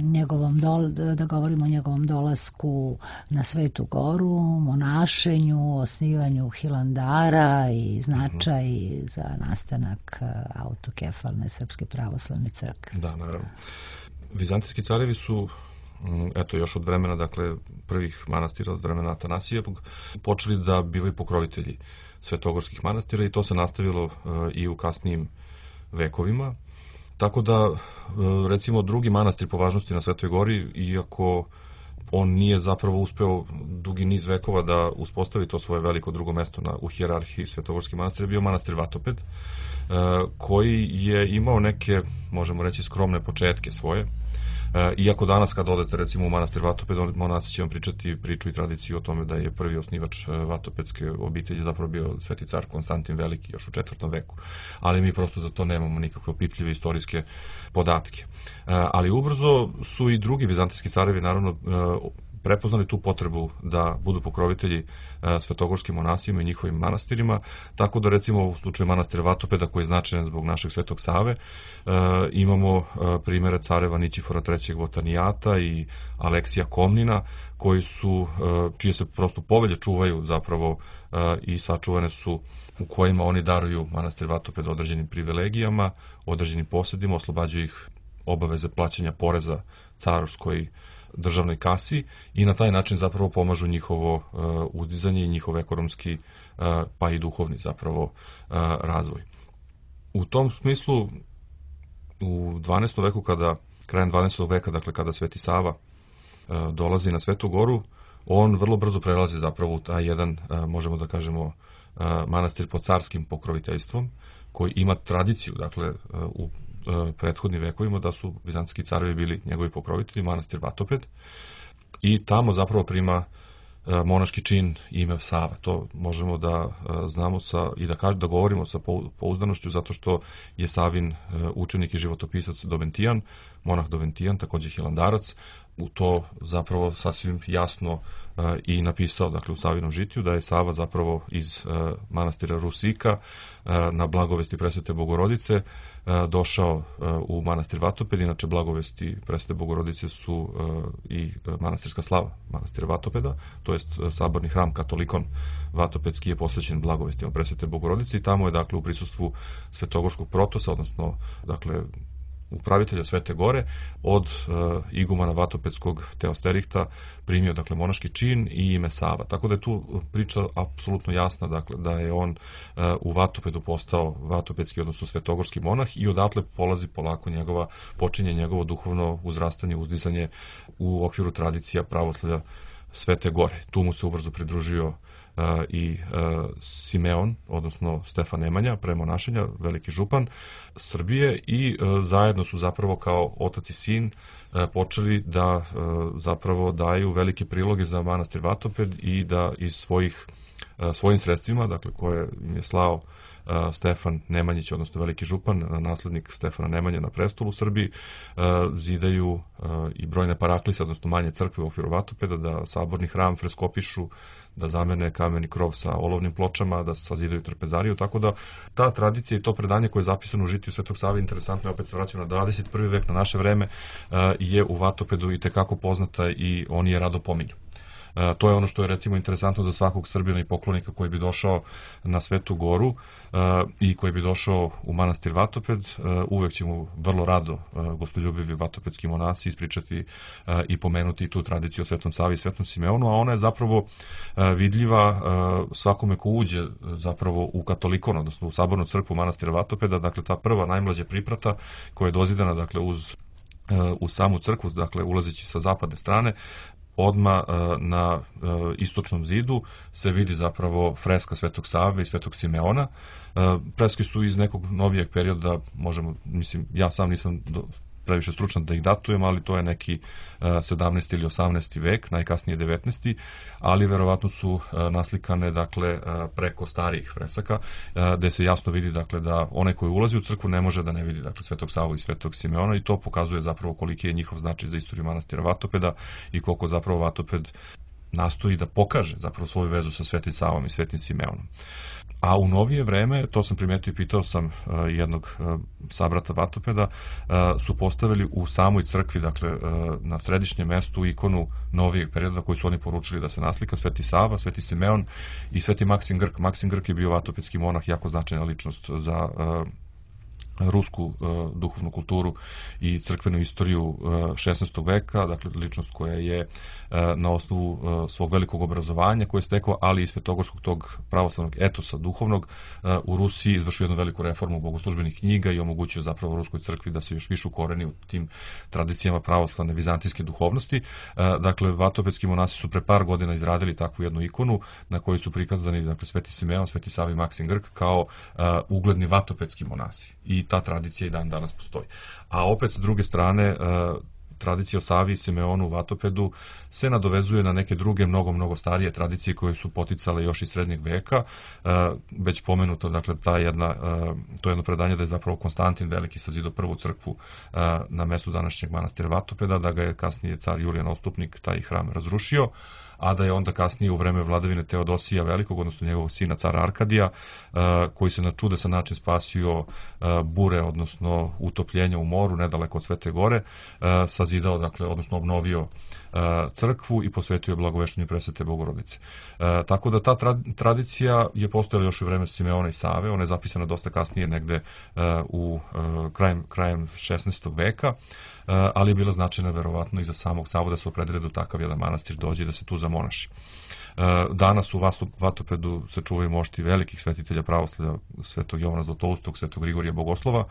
njegovom dol, da govorimo o njegovom dolasku na Svetu Goru, monašenju, osnivanju Hilandara i značaj za nastanak autokefalne Srpske pravoslavne crkve. Da, naravno. Vizantijski carevi su eto još od vremena, dakle prvih manastira, od vremena Atanasijevog, počeli da bivaju pokrovitelji svetogorskih manastira i to se nastavilo i u kasnijim vekovima. Tako da, recimo, drugi manastir po važnosti na Svetoj Gori, iako on nije zapravo uspeo dugi niz vekova da uspostavi to svoje veliko drugo mesto na, u hijerarhiji svetogorskih manastira, bio manastir Vatoped, koji je imao neke, možemo reći, skromne početke svoje. Iako danas kad odete recimo u manastir Vatoped, monasi će vam pričati priču i tradiciju o tome da je prvi osnivač vatopedske obitelji zapravo bio sveti car Konstantin Veliki još u četvrtom veku. Ali mi prosto za to nemamo nikakve opipljive istorijske podatke. Ali ubrzo su i drugi vizantijski carevi naravno prepoznali tu potrebu da budu pokrovitelji svetogorskim monasima i njihovim manastirima, tako da recimo u slučaju manastira Vatopeda, koji je značajan zbog našeg Svetog Save, imamo primere careva Nićifora trećeg Votanijata i Aleksija Komnina, koji su, čije se prosto povelje čuvaju zapravo i sačuvane su, u kojima oni daruju manastir Vatoped određenim privilegijama, određenim posjedima, oslobađaju ih obaveze plaćanja poreza carskoj državnoj kasi i na taj način zapravo pomažu njihovo uh, uzdizanje i njihov ekonomski uh, pa i duhovni zapravo uh, razvoj. U tom smislu u dvanaestom veku, kada krajem dvanaestog veka, dakle kada Sveti Sava uh, dolazi na Svetu Goru, on vrlo brzo prelazi zapravo u taj jedan, uh, možemo da kažemo, uh, manastir pod carskim pokroviteljstvom, koji ima tradiciju, dakle, uh, u prethodnim vekovima da su vizantijski carevi bili njegovi pokrovitelji, manastir Vatoped, i tamo zapravo prima monaški čin ime Sava. To možemo da znamo sa, i da kažem, da govorimo sa pouzdanošću, zato što je Savin učenik i životopisac Doventijan, monah Doventijan, takođe hilandarac, u to zapravo sasvim jasno uh, i napisao, dakle, u Savinom žitiju, da je Sava zapravo iz uh, manastira Rusika uh, na blagovesti Presvete Bogorodice uh, došao uh, u manastir Vatoped. Inače, blagovesti Presvete Bogorodice su uh, i manastirska slava manastira Vatopeda, to jest uh, saborni hram Katolikon Vatopedski je posvećen blagovestima Presvete Bogorodice i tamo je, dakle, u prisustvu svetogorskog protosa, odnosno, dakle, upravitelja Svete Gore, od uh, igumana Vatopedskog Teosterihta primio, dakle, monaški čin i ime Sava. Tako da je tu priča apsolutno jasna, dakle, da je on uh, u Vatopedu postao vatopedski, odnosno svetogorski monah, i odatle polazi polako njegova, počinje njegovo duhovno uzrastanje, uzdizanje u okviru tradicija pravoslavlja Svete Gore. Tu mu se ubrzo pridružio Uh, i uh, Simeon, odnosno Stefan Nemanja, premonašenja, veliki župan Srbije, i uh, zajedno su zapravo kao otac i sin uh, počeli da uh, zapravo daju velike priloge za manastir Vatoped i da iz svojih uh, svojim sredstvima, dakle, koje im je slao uh, Stefan Nemanjić, odnosno veliki župan, naslednik Stefana Nemanje na prestolu u Srbiji, uh, zidaju uh, i brojne paraklise, odnosno manje crkve u okviru Vatopeda, da saborni hram freskopišu, da zamene kameni krov sa olovnim pločama, da sazidaju trpezariju, tako da ta tradicija i to predanje koje je zapisano u žitiju Svetog Save, interesantno je, opet se vraćamo na dvadeset prvi vek, na naše vreme, je u Vatopedu i tekako poznata i oni je rado pominju. Uh, to je ono što je, recimo, interesantno za svakog Srbina i poklonika koji bi došao na Svetu Goru uh, i koji bi došao u manastir Vatoped. Uh, uvek će mu vrlo rado uh, gostoljubivi vatopedski monasi ispričati uh, i pomenuti tu tradiciju o Svetom Savi i Svetom Simeonu, a ona je zapravo uh, vidljiva uh, svakome ko uđe uh, zapravo u katolikon, odnosno u sabornu crkvu manastira Vatopeda. Dakle, ta prva najmlađa priprata koja je dozidana, dakle, uz, uh, u samu crkvu, dakle, ulazeći sa zapadne strane, odma na istočnom zidu se vidi zapravo freska Svetog Save i Svetog Simeona. Freske su iz nekog novijeg perioda, možemo, mislim, ja sam nisam do, previše stručan da ih datujem, ali to je neki sedamnaesti ili osamnaesti vek, najkasnije devetnaesti, ali verovatno su naslikane, dakle, preko starijih fresaka, gde se jasno vidi, dakle, da onaj koji ulazi u crkvu ne može da ne vidi, dakle, Svetog Savu i Svetog Simeona, i to pokazuje zapravo koliki je njihov značaj za istoriju manastira Vatopeda i koliko zapravo Vatoped nastoji da pokaže zapravo svoju vezu sa Svetim Savom i Svetim Simeonom. A u novije vreme, to sam primetio i pitao sam uh, jednog uh, sabrata Vatopeda, uh, su postavili u samoj crkvi, dakle, uh, na središnjem mestu ikonu novijeg perioda koju su oni poručili da se naslika, Sveti Sava, Sveti Simeon i Sveti Maksim Grk. Maksim Grk je bio vatopedski monah, jako značajna ličnost za uh, rusku uh, duhovnu kulturu i crkvenu istoriju uh, šesnaestog veka, dakle ličnost koja je uh, na osnovu uh, svog velikog obrazovanja koje je stekao, ali i svetogorskog tog pravoslavnog etosa duhovnog uh, u Rusiji izvršio jednu veliku reformu bogoslužbenih knjiga i omogućio zapravo Ruskoj crkvi da se još više ukoreni u tim tradicijama pravoslavne vizantijske duhovnosti. Uh, dakle, vatopedski monasi su pre par godina izradili takvu jednu ikonu na kojoj su prikazani, dakle, Sveti Simeon, Sveti Sava i Maksim Grk kao uh, ugledni vatopedski monasi. I ta tradicija i dan danas postoji. A opet, s druge strane, tradicija o Savi i Simeonu u Vatopedu se nadovezuje na neke druge, mnogo, mnogo starije tradicije koje su poticale još iz srednjeg veka. Već pomenuto, dakle, ta jedna, to jedno predanje da je zapravo Konstantin Veliki sazidao prvu crkvu na mestu današnjeg manastira Vatopeda, da ga je kasnije car Julijan Otstupnik taj hram razrušio, a da je onda kasnije u vreme vladavine Teodosija Velikog, odnosno njegovog sina cara Arkadija, koji se na čudesan način spasio bure, odnosno utopljenja u moru, nedaleko od Svete Gore, sazidao, dakle, odnosno obnovio crkvu i posvetio je blagoveštenju presvete Bogorodice. Tako da ta tradicija je postojala još u vreme Simeona i Save, ona je zapisana dosta kasnije, negde u krajem, krajem šesnaestog veka, ali je bila značajna verovatno i za samog Savu da se opredele do takav jedan manastir dođe da se tu zamonaši. Danas u Vatopedu se čuvaju mošti velikih svetitelja pravoslavlja, svetog Jovana Zlatoustog, svetog Grigorija Bogoslova,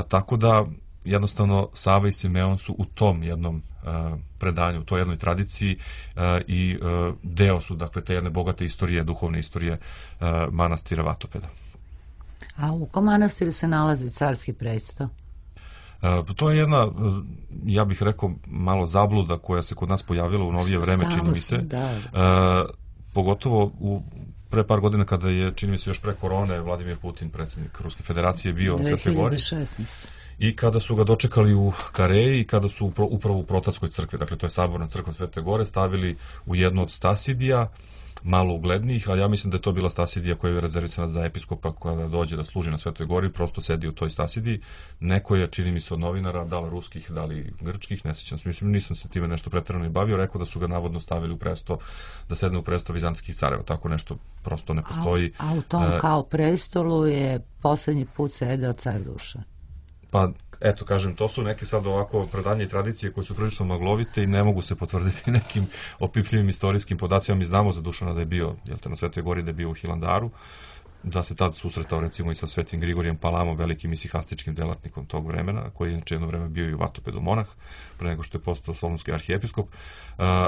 tako da jednostavno Sava i Simeon su u tom jednom uh, predanju, u toj jednoj tradiciji uh, i uh, deo su, dakle, te jedne bogate istorije, duhovne istorije uh, manastira Vatopeda. A u kom manastiru se nalazi carski presto? Uh, to je jedna, uh, ja bih rekao, malo zabluda koja se kod nas pojavila u novije vreme, Stalo čini mi se. Da. Uh, pogotovo u pre par godina kada je, čini mi se, još pre korone, Vladimir Putin, predsjednik Ruske federacije, bio u Svetoj Gori. dve hiljade šesnaeste. I kada su ga dočekali u Kareji i kada su upravo u Protatskoj crkvi, dakle to je saborna crkva Svete Gore, stavili u jednu od stasidija, malo uglednijih, ali ja mislim da je to bila stasidija koja je rezervisana za episkopa koja dođe da služi na Svetoj Gori, prosto sedi u toj stasidiji. Neko je, čini mi se, od novinara, da li ruskih, da li grčkih, ne sjećam se, mislim, nisam se time nešto pretjerano i bavio, rekao da su ga navodno stavili u presto, da sedne u presto vizantijskih careva, tako nešto prosto ne postoji. A, a u tom uh, kao prestolu je poslednji put sedeo car Dušan. Pa, eto, kažem, to su neke sad ovako predanje i tradicije koje su prilično maglovite i ne mogu se potvrditi nekim opipljivim istorijskim podacima. Mi znamo za Dušana da je bio, jel te, na Svetoj Gori, da je bio u Hilandaru, da se tad susretao recimo i sa Svetim Grigorijem Palamom, velikim isihastičkim delatnikom tog vremena, koji je inače jedno vreme bio i u Vatopedu monah, pre nego što je postao solunski arhijepiskop, uh,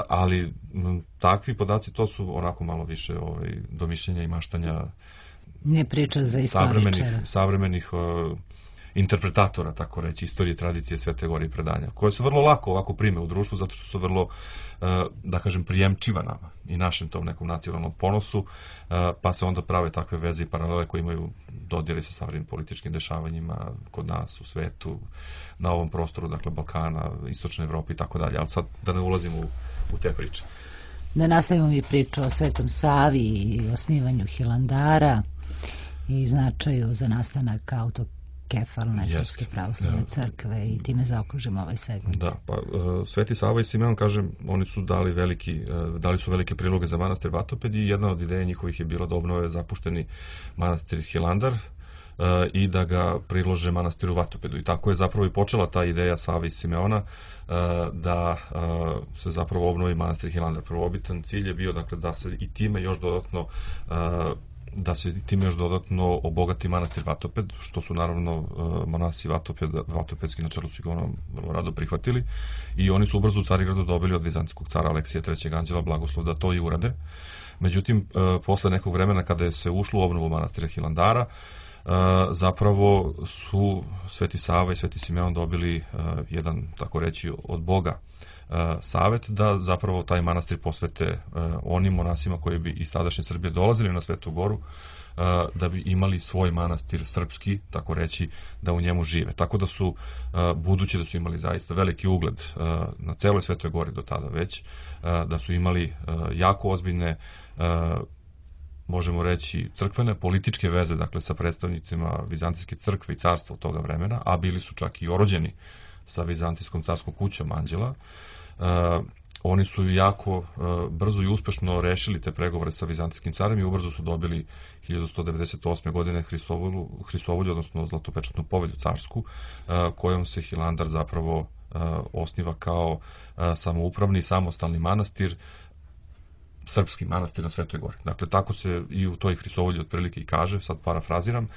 ali m, takvi podaci, to su onako malo više ovaj, domišljenja i maštanja ne priča za savremenih, savremenih uh, interpretatora, tako reći, istorije, tradicije Svete Gore i predanja, koje se vrlo lako ovako prime u društvu, zato što su vrlo, da kažem, prijemčiva nama i našem tom nekom nacionalnom ponosu, pa se onda prave takve veze i paralele koje imaju dodire sa savremenim političkim dešavanjima kod nas, u svetu, na ovom prostoru, dakle, Balkana, Istočne Evrope i tako dalje, ali sad da ne ulazimo u, u te priče. Da nastavimo mi priču o Svetom Savi i osnivanju Hilandara i značaju za nastanak auto kefalne srpske pravoslavne crkve i time zaokružimo ovaj segment. Da, pa uh, Sveti Sava i Simeon, kažem, oni su dali veliki, uh, dali su velike priloge za manastir Vatoped i jedna od ideja njihovih je bila da obnove zapušteni manastir Hilandar uh, i da ga prilože manastiru Vatopedu. I tako je zapravo i počela ta ideja Save i Simeona uh, da uh, se zapravo obnovi manastir Hilandar. Prvobitan cilj je bio, dakle, da se i time još dodatno uh, da se time još dodatno obogati manastir Vatoped, što su naravno monasi Vatoped, Vatopedski na čelu su ga ono vrlo rado prihvatili i oni su ubrzo u Carigradu dobili od vizantijskog cara Aleksija trećeg Anđela blagoslov da to i urade. Međutim, posle nekog vremena kada je se ušlo u obnovu manastira Hilandara, zapravo su Sveti Sava i Sveti Simeon dobili jedan, tako reći, od Boga savet da zapravo taj manastir posvete uh, onim monasima koji bi iz tadašnje Srbije dolazili na Svetu Goru, uh, da bi imali svoj manastir srpski, tako reći, da u njemu žive. Tako da su, uh, budući da su imali zaista veliki ugled uh, na celoj Svetoj Gori do tada već, uh, da su imali uh, jako ozbiljne, uh, možemo reći, crkvene, političke veze, dakle, sa predstavnicima Vizantijske crkve i carstva od toga vremena, a bili su čak i orođeni sa Vizantijskom carskom kućom Anđela. Uh, oni su jako brzo i uspešno rešili te pregovore sa vizantijskim carem i ubrzo su dobili hiljadu sto devedeset osme. godine Hristovolju, Hristovolju, odnosno Zlatopečatnu povelju carsku, kojom se Hilandar zapravo osniva kao samoupravni samostalni manastir, srpski manastir na Svetoj gori. Dakle, tako se i u toj Hristovolji otprilike i kaže, sad parafraziram,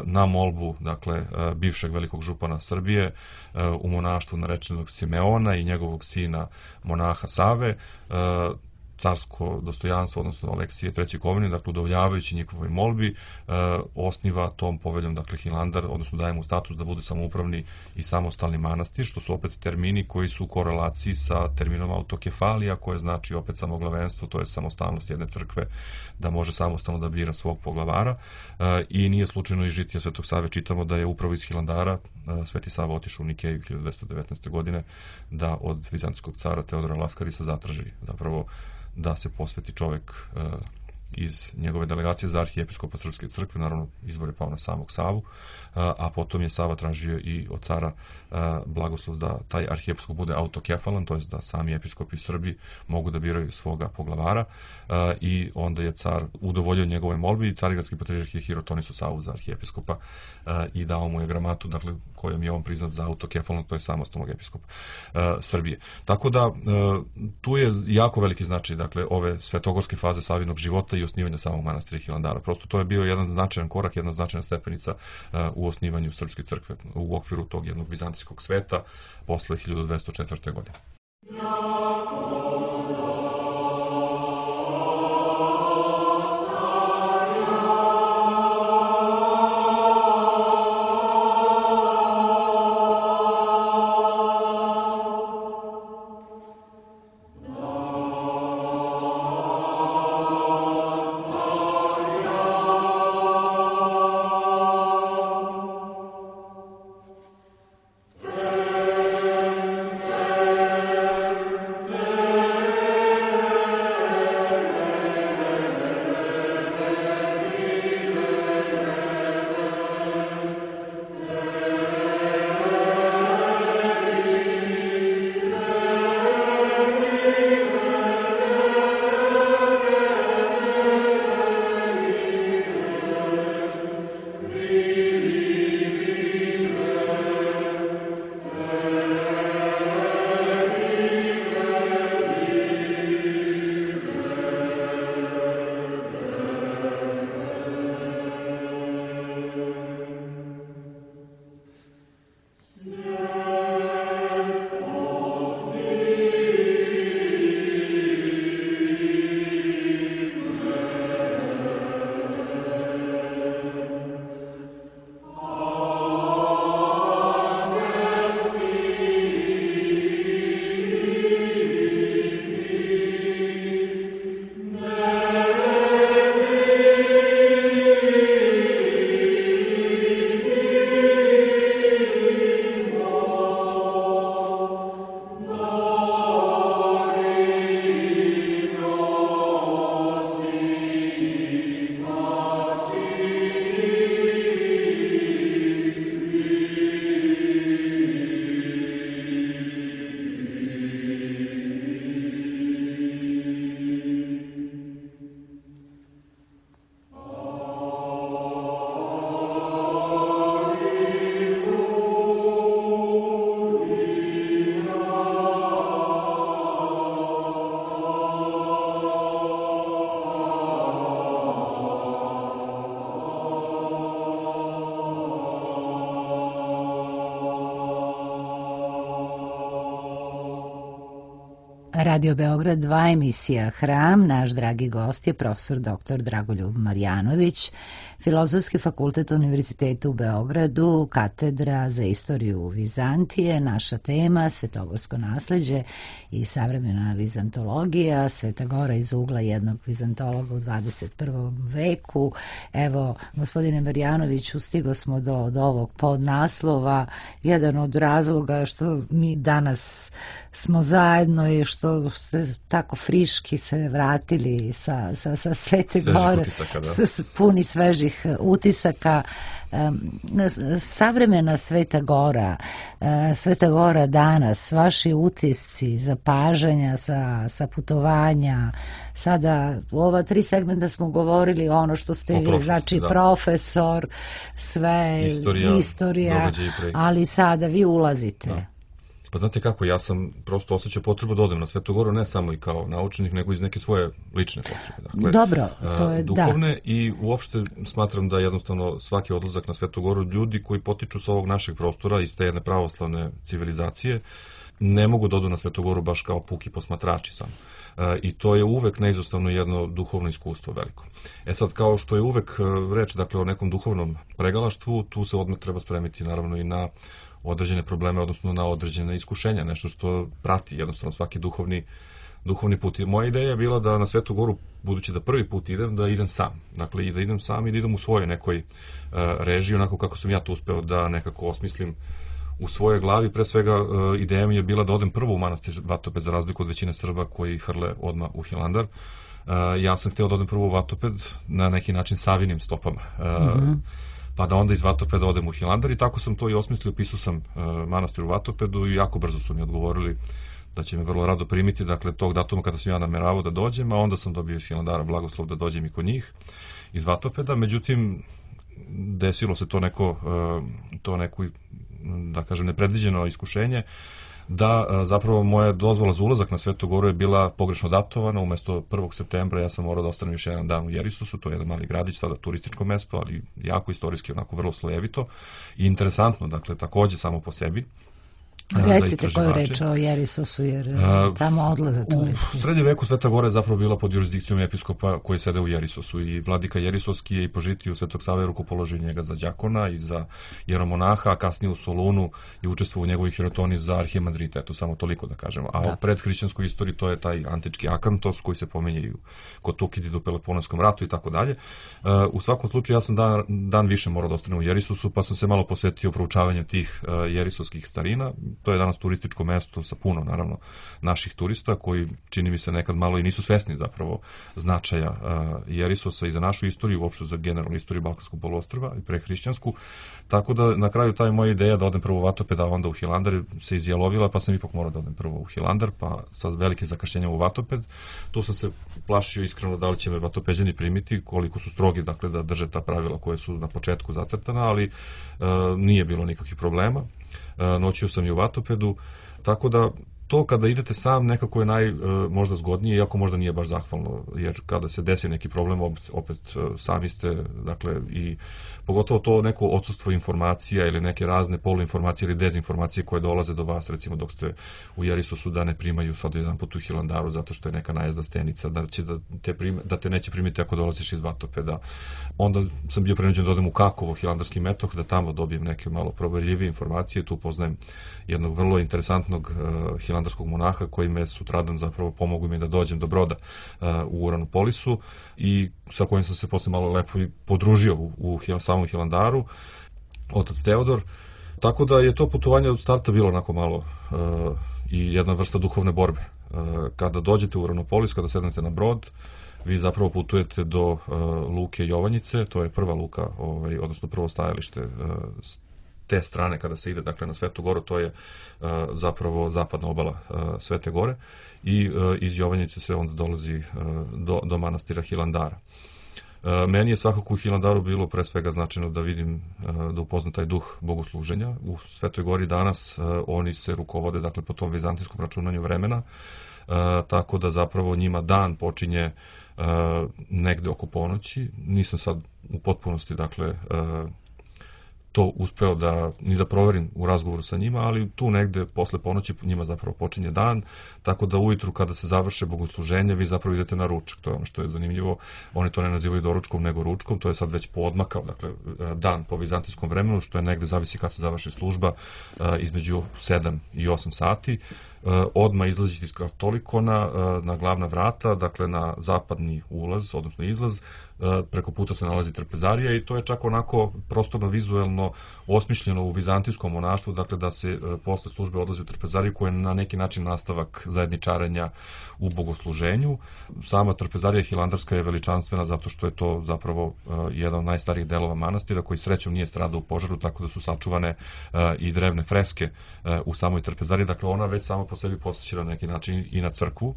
na molbu, dakle, bivšeg velikog župana Srbije u monaštvu narečenog Simeona i njegovog sina monaha Save, carsko dostojanstvo, odnosno Aleksije treći Kovenin, dakle, udovoljavajući njihovoj molbi, e, osniva tom poveljom, dakle, Hilandar, odnosno daje mu status da bude samoupravni i samostalni manastir, što su opet termini koji su u korelaciji sa terminom autokefalija, koje znači opet samoglavenstvo, to je samostalnost jedne crkve da može samostalno da bira svog poglavara, e, i nije slučajno iz žitija Svetog Save čitamo da je upravo iz Hilandara e, Sveti Sava otišao u Nikeju hiljadu dvesta devetnaeste. godine da od vizantijskog cara Teodora Laskarisa zatraži zapravo da se posveti čovek uh, iz njegove delegacije za arhijepiskopa Srpske crkve, naravno izbor je pao na samog Savu, uh, a potom je Sava tražio i od cara uh, blagoslov da taj arhijepiskop bude autokefalan, to je da sami episkopi Srbi mogu da biraju svoga poglavara, uh, i onda je car udovoljio njegove molbi i carigradski patrijarh je Hirotonisu Savu za arhijepiskopa uh, i dao mu je gramatu, dakle, kojom je on priznat za autokefalnog, to je samostalnog episkopa uh, Srbije. Tako da uh, tu je jako veliki značaj, dakle, ove svetogorske faze Savinog života i osnivanja samog manastira Hilandara. Prosto to je bio jedan značajan korak, jedna značajna stepenica uh, u osnivanju Srpske crkve u okviru tog jednog vizantijskog sveta posle hiljadu dvesta četvrte. godine. Radio Beograd dva, emisija Hram. Naš dragi gost je profesor doktor Dragoljub Marjanović, Filozofski fakultet Univerziteta u Beogradu, katedra za istoriju Vizantije. Naša tema svetogorsko nasleđe i savremena vizantologija, Sveta Gora iz ugla jednog vizantologa u dvadeset prvom veku. Evo, gospodine Marjanoviću, stigo smo do, do ovog podnaslova. Jedan od razloga što mi danas smo zajedno i što ste tako friški se vratili sa, sa, sa Svete Svežih Gore, utisaka, da. s, s puni svežih utisaka. Savremena Sveta Gora, Sveta Gora danas, vaši utisci, zapažanja sa, sa putovanja, sada u ova tri segmenta smo govorili ono što ste vi, znači da. Profesor, sve, istorija, istorija ali sada vi ulazite. Da. Pa znate kako, ja sam prosto osjećao potrebu da odem na Svetu Goru, ne samo i kao naučnik, nego iz neke svoje lične potrebe. Dakle, dobro, to je duhovne da. I uopšte smatram da jednostavno svaki odlazak na Svetu Goru, ljudi koji potiču sa ovog našeg prostora, iz te jedne pravoslavne civilizacije, ne mogu da odu na Svetu Goru baš kao puki posmatrači samo. I to je uvek neizostavno jedno duhovno iskustvo veliko. E sad, kao što je uvek reč, dakle, o nekom duhovnom pregalaštvu, tu se odmah treba spremiti naravno i na određene probleme, odnosno na određene iskušenja, nešto što prati jednostavno svaki duhovni, duhovni put. I moja ideja je bila da na Svetu Goru, budući da prvi put idem, da idem sam. Dakle, i da idem sam i da idem u svojoj nekoj uh, režiji, onako kako sam ja to uspeo da nekako osmislim u svojoj glavi. Pre svega, uh, ideja mi je bila da odem prvo u manastir Vatoped, za razliku od većine Srba koji hrle odmah u Hilandar. Uh, ja sam hteo da odem prvo u Vatoped na neki način savinim stopama. Uh, mm-hmm. Pa da onda iz Vatopeda odem u Hilandar i tako sam to i osmislio, pisao sam uh, manastir u Vatopedu i jako brzo su mi odgovorili da će me vrlo rado primiti, dakle tog datuma kada sam ja nameravao da dođem, a onda sam dobio iz Hilandara blagoslov da dođem i kod njih iz Vatopeda, međutim desilo se to neko, uh, to neko, da kažem, nepredviđeno iskušenje, da a, zapravo moja dozvola za ulazak na Svetu Goru je bila pogrešno datovana. Umesto prvog septembra ja sam morao da ostanem još jedan dan u Jerisosu, to je jedan mali gradić, sada turističko mesto, ali jako istorijski, onako vrlo slojevito i interesantno, dakle takođe samo po sebi. Recite koju reč o Jerisosu, jer uh, tamo odlaze turisti. U srednjem veku Sveta Gora je zapravo bila pod jurisdikcijom episkopa koji sede u Jerisosu i vladika Jerisoski je i po žitiju Svetog Save rukopoložio njega za đakona i za jeromonaha, a kasnije u Solunu je učestvovao u njegovoj hirotoni za arhimandrita, eto samo toliko da kažemo. A da. U predhrišćanskoj istoriji to je taj antički Akantos koji se pominje i kod Tukidida u Peloponskom ratu i tako dalje. U svakom slučaju ja sam dan, dan više morao da ostanem u Jerisosu, pa sam se malo posvetio proučavanju tih uh, jerisovskih starina. To je danas turističko mesto sa puno, naravno, naših turista koji, čini mi se, nekad malo i nisu svesni zapravo značaja uh, Jerisosa i za našu istoriju, uopšte za generalnu istoriju Balkanskog poluostrva i prehrišćansku. Tako da na kraju taj moja ideja da odem prvo u Vatoped, a onda u Hilandar se izjelovila, pa sam ipak morao da odem prvo u Hilandar, pa sa velikim zakašnjenjem u Vatoped. Tu sam se plašio iskreno da li će me Vatopeđani primiti, koliko su strogi, dakle, da drže ta pravila koje su na početku zacrtana, ali uh, nije bilo nikakvih problema. Uh, noćio sam i u Vatopedu, tako da to kada idete sam nekako je naj, uh, možda zgodnije, iako možda nije baš zahvalno, jer kada se desi neki problem, opet, opet uh, sami ste, dakle, i pogotovo to neko odsustvo informacija ili neke razne poluinformacije ili dezinformacije koje dolaze do vas, recimo dok ste u Jerisosu, da ne primaju sad jedan put u Hilandaru zato što je neka najezda stenica, da, će da, te prime, da te neće primiti ako dolaziš iz Vatopeda. Onda sam bio prenuđen da odem u Kakovo, hilandarski metoh, da tamo dobijem neke malo proverljivije informacije. Tu poznajem jednog vrlo interesantnog uh, hilandarskog monaha koji me sutradan zapravo pomogu mi da dođem do broda uh, u Uranopolisu i sa kojim sam se posle malo lepo i podružio u, u samom Hilandaru, otac Teodor. Tako da je to putovanje od starta bilo onako malo uh, i jedna vrsta duhovne borbe. Uh, kada dođete u Uranopolis, kada sednete na brod, vi zapravo putujete do uh, luke Jovanjice, to je prva luka, ovaj, odnosno prvo stajalište uh, te strane kada se ide, dakle, na Svetu Goru, to je uh, zapravo zapadna obala uh, Svete Gore i uh, iz Jovanjice se onda dolazi uh, do, do manastira Hilandara. Uh, meni je svakako u Hilandaru bilo pre svega značajno da vidim, uh, da upoznam taj duh bogosluženja. U Svetoj Gori danas uh, oni se rukovode, dakle, po tom vizantijskom računanju vremena, uh, tako da zapravo njima dan počinje uh, negde oko ponoći. Nisam sad u potpunosti, dakle, uh, to uspeo da, ni da proverim u razgovoru sa njima, ali tu negde posle ponoći njima zapravo počinje dan, tako da ujutru kada se završe bogosluženje, vi zapravo idete na ručak. To je ono što je zanimljivo. Oni to ne nazivaju doručkom, nego ručkom. To je sad već poodmakao, dakle, dan po vizantijskom vremenu, što je negde, zavisi kad se završi služba, između sedam i osam sati. odmah izlaziti iz Katolikona na glavna vrata, dakle na zapadni ulaz, odnosno izlaz, preko puta se nalazi trpezarija i to je čak onako prostorno vizuelno osmišljeno u vizantijskom monaštvu, dakle da se posle službe odlazi u trpezariju koja je na neki način nastavak zajedničarenja u bogosluženju. Sama trpezarija hilandarska je veličanstvena zato što je to zapravo jedan od najstarijih delova manastira koji srećom nije stradao u požaru, tako da su sačuvane i drevne freske u samoj trpezariji, dakle ona već sama po sebi posjeća na neki način i na crkvu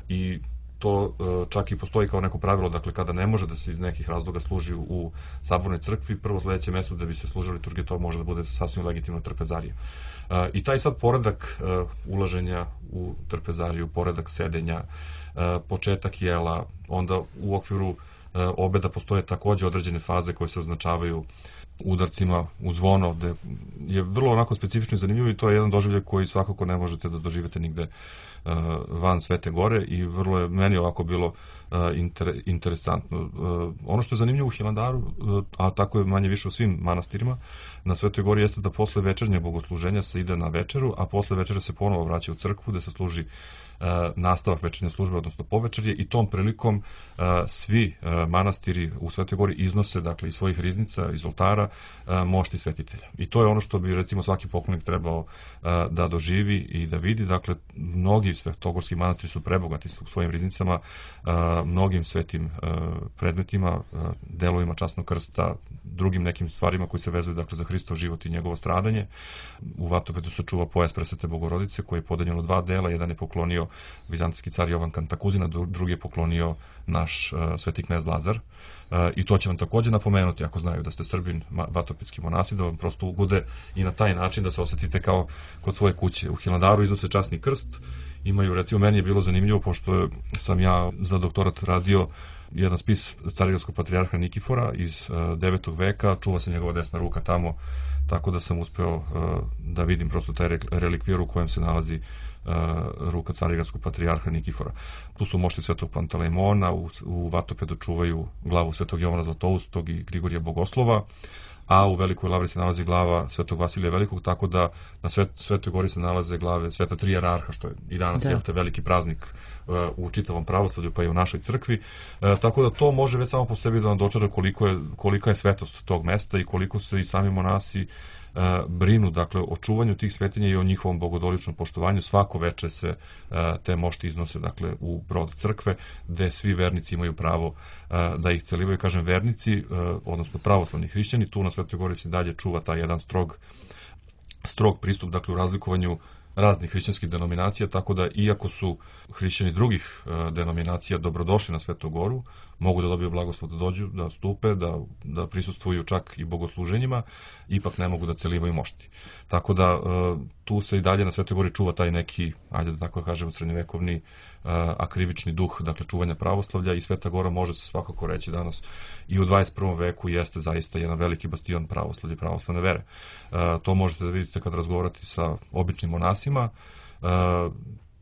i to čak i postoji kao neko pravilo, dakle kada ne može da se iz nekih razloga služi u sabornoj crkvi, prvo sledeće mesto da bi se služila liturgija, to može da bude sasvim legitimno trpezarija. I taj sad poredak ulaženja u trpezariju, poredak sedenja, početak jela, onda u okviru obeda postoje takođe određene faze koje se označavaju udarcima u zvono, gde je vrlo onako specifično i zanimljivo i to je jedan doživljaj koji svakako ne možete da doživite nigde van Svete Gore i vrlo je meni ovako bilo inter, interesantno. Ono što je zanimljivo u Hilandaru, a tako je manje više u svim manastirima, na Svetoj Gori jeste da posle večernjeg bogosluženja se ide na večeru, a posle večere se ponovo vraća u crkvu gde se služi nastavak večernje službe, odnosno povečerje i tom prilikom svi manastiri u Svetoj Gori iznose, dakle, iz svojih riznica, iz oltara, mošti svetitelja. I to je ono što bi, recimo, svaki poklonik trebao da doživi i da vidi. Dakle, mnogi svetogorski manastiri su prebogati u svojim riznicama, mnogim svetim predmetima, delovima časnog krsta, drugim nekim stvarima koji se vezuju, dakle, za Hristov život i njegovo stradanje. U Vatopedu se čuva pojas Presvete Bogorodice koji je podeljen u dva dela, jedan je poklonio vizantijski car Jovan Kantakuzina, drugi je poklonio naš uh, sveti knez Lazar. Uh, I to će vam takođe napomenuti, ako znaju da ste Srbin, vatopetski monasi, da vam prosto ugode i na taj način da se osetite kao kod svoje kuće. U Hilandaru iznose časni krst, imaju, recimo, meni je bilo zanimljivo, pošto sam ja za doktorat radio jedan spis carigradskog patrijarha Nikifora iz uh, devetog veka, čuva se njegova desna ruka tamo, tako da sam uspeo uh, da vidim prosto taj relikvir u kojem se nalazi Uh, ruka carigradskog patrijarha Nikifora. Tu su mošti Svetog Pantalejmona, u, u Vatopedu čuvaju glavu Svetog Jovana Zlatoustog i Grigorija Bogoslova, a u Velikoj Lavri se nalazi glava Svetog Vasilija Velikog, tako da na Svet, Svetoj Gori se nalaze glave Sveta Tri jerarha, što je i danas da. Jelte, veliki praznik uh, u čitavom pravoslavlju, pa i u našoj crkvi. Uh, tako da to može već samo po sebi da vam dočara koliko je, kolika je svetost tog mesta i koliko se i sami monasi brinu, dakle, o čuvanju tih svetinja i o njihovom bogodoličnom poštovanju. Svako veče se te mošti iznose, dakle, u brod crkve, gde svi vernici imaju pravo da ih celivaju. Kažem vernici, odnosno pravoslavni hrišćani, tu na Svetoj Gori se dalje čuva taj jedan strog, strog pristup, dakle, u razlikovanju raznih hrišćanskih denominacija, tako da iako su hrišćani drugih e, denominacija dobrodošli na Svetu Goru, mogu da dobiju blagoslov da dođu, da stupe, da, da prisustvuju čak i bogosluženjima, ipak ne mogu da celivaju mošti. Tako da e, tu se i dalje na Svetoj Gori čuva taj neki, ajde da tako kažemo, srednjevekovni e, akrivični duh, dakle, čuvanja pravoslavlja i Sveta Gora može se svakako reći danas i u dvadeset prvom veku jeste zaista jedan veliki bastion pravoslavlja i pravoslavne vere. E, to možete da vidite kad razgovarate sa običnim monasima. E,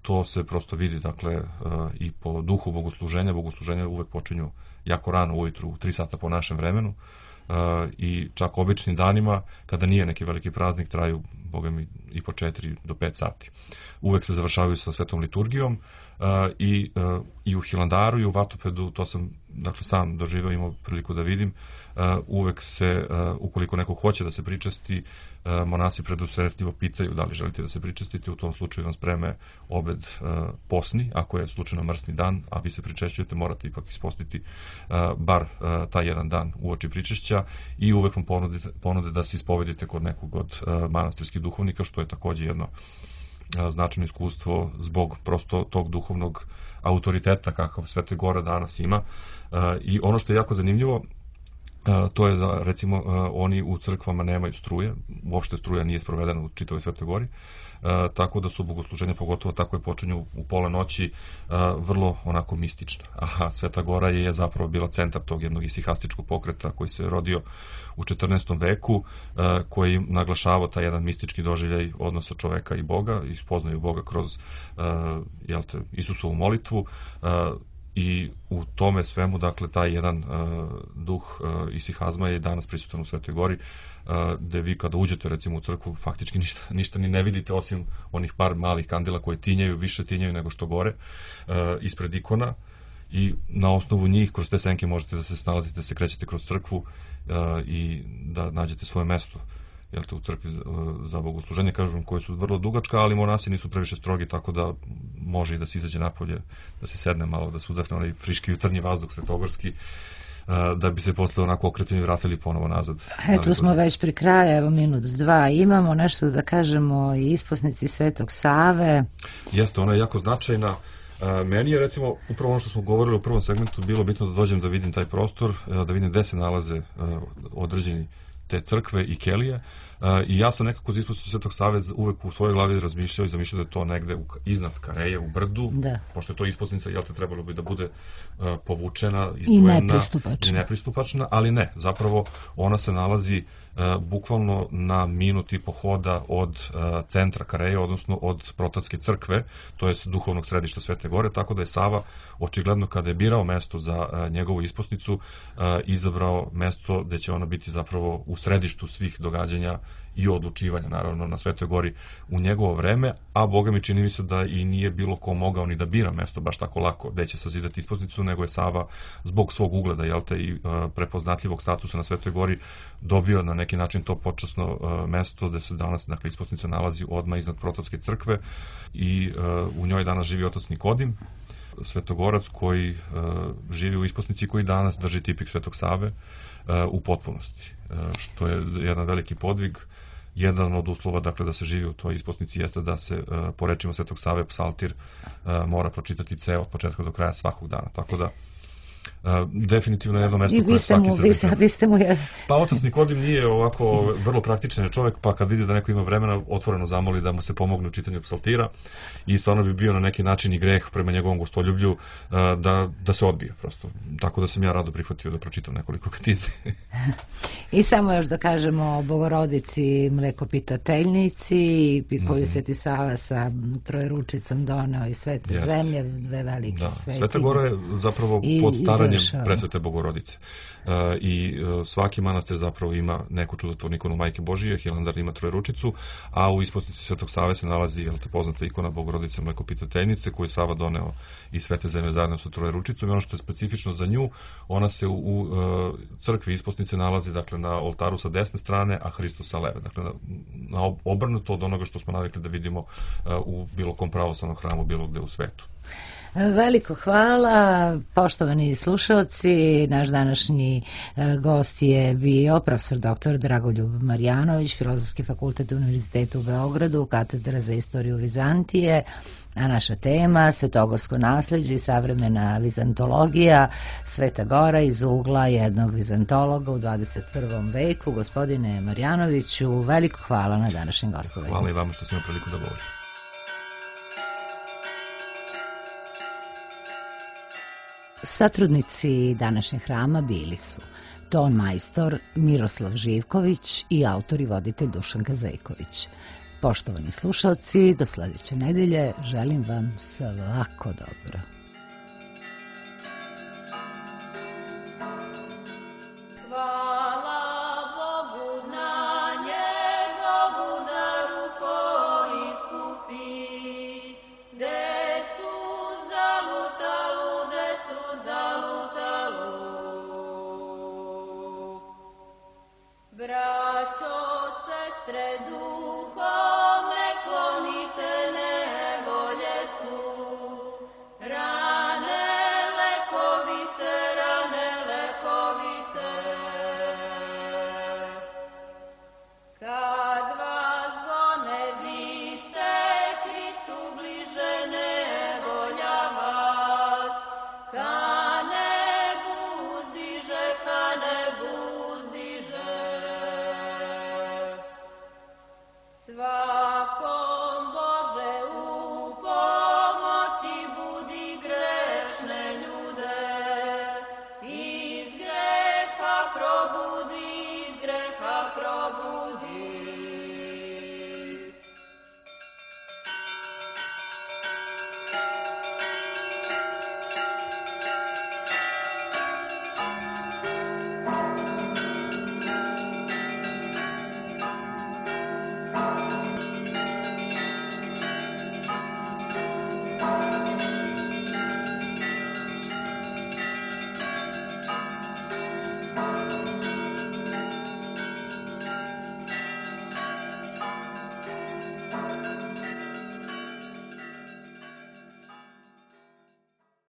to se prosto vidi, dakle, i po duhu bogosluženja. Bogosluženja uvek počinju jako rano ujutru, u tri sata po našem vremenu, i čak običnim danima, kada nije neki veliki praznik, traju, boga mi, i po četiri do pet sati. Uvek se završavaju sa svetom liturgijom i, i u Hilandaru i u Vatopedu, to sam, dakle, sam doživeo, imao priliku da vidim, uvek se, ukoliko neko hoće da se pričasti, monasi predusretljivo pitaju da li želite da se pričestite, u tom slučaju vam spreme obed posni, ako je slučajno mrsni dan, a vi se pričešćujete, morate ipak ispostiti bar taj jedan dan uoči pričešća i uvek vam ponude, ponude da se ispovedite kod nekog od manastirskih duhovnika, što je takođe jedno značajno iskustvo zbog prosto tog duhovnog autoriteta kakav Sveta Gora danas ima. I ono što je jako zanimljivo, to je da, recimo, oni u crkvama nemaju struje, uopšte struja nije sprovedena u čitavoj Svetoj Gori, tako da su bogosluženja, pogotovo tako je počinju u pola noći, vrlo onako mistična. Aha, Sveta Gora je zapravo bila centar tog jednog isihastičkog pokreta koji se rodio u četrnaestom veku, koji naglašava taj jedan mistički doživljaj odnosa čoveka i Boga, i spoznaju Boga kroz, jel te, Isusovu molitvu. i u tome svemu, dakle, taj jedan uh, duh uh, isihazma je danas prisutan u Svetoj Gori, uh, gde vi kada uđete recimo u crkvu faktički ništa, ništa ni ne vidite osim onih par malih kandila koje tinjaju, više tinjaju nego što gore uh, ispred ikona, i na osnovu njih kroz te senke možete da se snalazite, da se krećete kroz crkvu uh, i da nađete svoje mesto, jel te, u crkvi za, za bogosluženje, kažem, koje su vrlo dugačka, ali monasi nisu previše strogi, tako da može i da se izađe napolje, da se sedne malo, da se udahne onaj friški jutarnji vazduh svetogorski, da bi se posle onako okrepljeni vratili ponovo nazad. Eto smo već pri kraju, evo minut dva, imamo nešto da kažemo i isposnici Svetog Save. Jeste, ona je jako značajna. Meni je, recimo, upravo ono što smo govorili u prvom segmentu, bilo bitno da dođem da vidim taj prostor, da vidim gde se nalaze određeni te crkve i kelije, i ja sam nekako za isposnicu Svetog Save uvek u svojoj glavi razmišljao i zamišljao da je to negde u, iznad Kareje, u brdu, da. Pošto je to isposnica, jel te, trebalo bi da bude uh, povučena, izdvojena i nepristupačna. i nepristupačna, ali ne, zapravo ona se nalazi uh, bukvalno na minut i po hoda od uh, centra Kareje, odnosno od Protatske crkve, to je duhovnog središta Svete Gore, tako da je Sava očigledno kada je birao mesto za uh, njegovu isposnicu, uh, izabrao mesto gde će ona biti zapravo u središtu svih događanja i odlučivanja, naravno, na Svetoj Gori u njegovo vreme, a Boga mi čini mi se da i nije bilo ko mogao ni da bira mesto baš tako lako gde će sazidati isposnicu, nego je Sava zbog svog ugleda, jel te, i uh, prepoznatljivog statusa na Svetoj Gori dobio na neki način to počasno uh, mesto gde se danas, dakle, isposnica nalazi odmah iznad Prototske crkve i uh, u njoj danas živi otac Nikodim, svetogorac koji uh, živi u isposnici, koji danas drži tipik Svetog Save uh, u potpunosti, uh, što je jedan veliki podvig. Jedan od uslova, dakle, da se živi u toj isposnici jeste da se, uh, po rečima Svetog Save, psaltir uh, mora pročitati ceo od početka do kraja svakog dana. Tako da, Uh, definitivno jedno mesto koje svaki Srbin treba. Vi ste mu jedan. Pa otac Nikodim nije ovako vrlo praktičan čovjek, pa kad vidi da neko ima vremena, otvoreno zamoli da mu se pomogne u čitanju psaltira, i stvarno bi bio na neki način i greh prema njegovom gostoljublju uh, da, da se odbije prosto. Tako da sam ja rado prihvatio da pročitam nekoliko katizmi. I samo još da kažemo o Bogorodici Mlekopitateljnici, koju mm-hmm. Sveti Sava sa Trojeručicom doneo iz Svete Jest. Zemlje, dve velike da. svetinje. Sveta Gora je zapravo pod staranjem Presvete Bogorodice. Uh, I uh, svaki manastir zapravo ima neku čudotvornu ikonu Majke Božije, Hilandar ima Trojeručicu, a u isposnici Svetog Save se nalazi, jel te, poznata ikona Bogorodice Mlekopitateljnice, koju je Sava doneo iz Svete Zemlje zajedno sa Trojeručicom, i ono što je specifično za nju, ona se u, u uh, crkvi isposnice nalazi, dakle, na oltaru sa desne strane, a Hristos sa leve, dakle, na, na obrnuto od onoga što smo navikli da vidimo uh, u bilo kom pravoslavnom hramu, bilo gde u svetu. Veliko hvala, poštovani slušalci. Naš današnji gost je bio profesor doktor Dragoljub Marjanović, Filozofski fakultet Univerziteta u Beogradu, katedra za istoriju Vizantije, a naša tema svetogorsko nasleđe i savremena vizantologija, Sveta Gora iz ugla jednog vizantologa u dvadeset prvom veku. Gospodine Marjanoviću, veliko hvala na današnjem gostovanju. Hvala i vama što ste imali priliku da govorim. Satrudnici današnjeg hrama bili su ton majstor Miroslav Živković i autor i voditelj Dušan Gazejković. Poštovani slušalci, do sledeće nedelje želim vam svako dobro.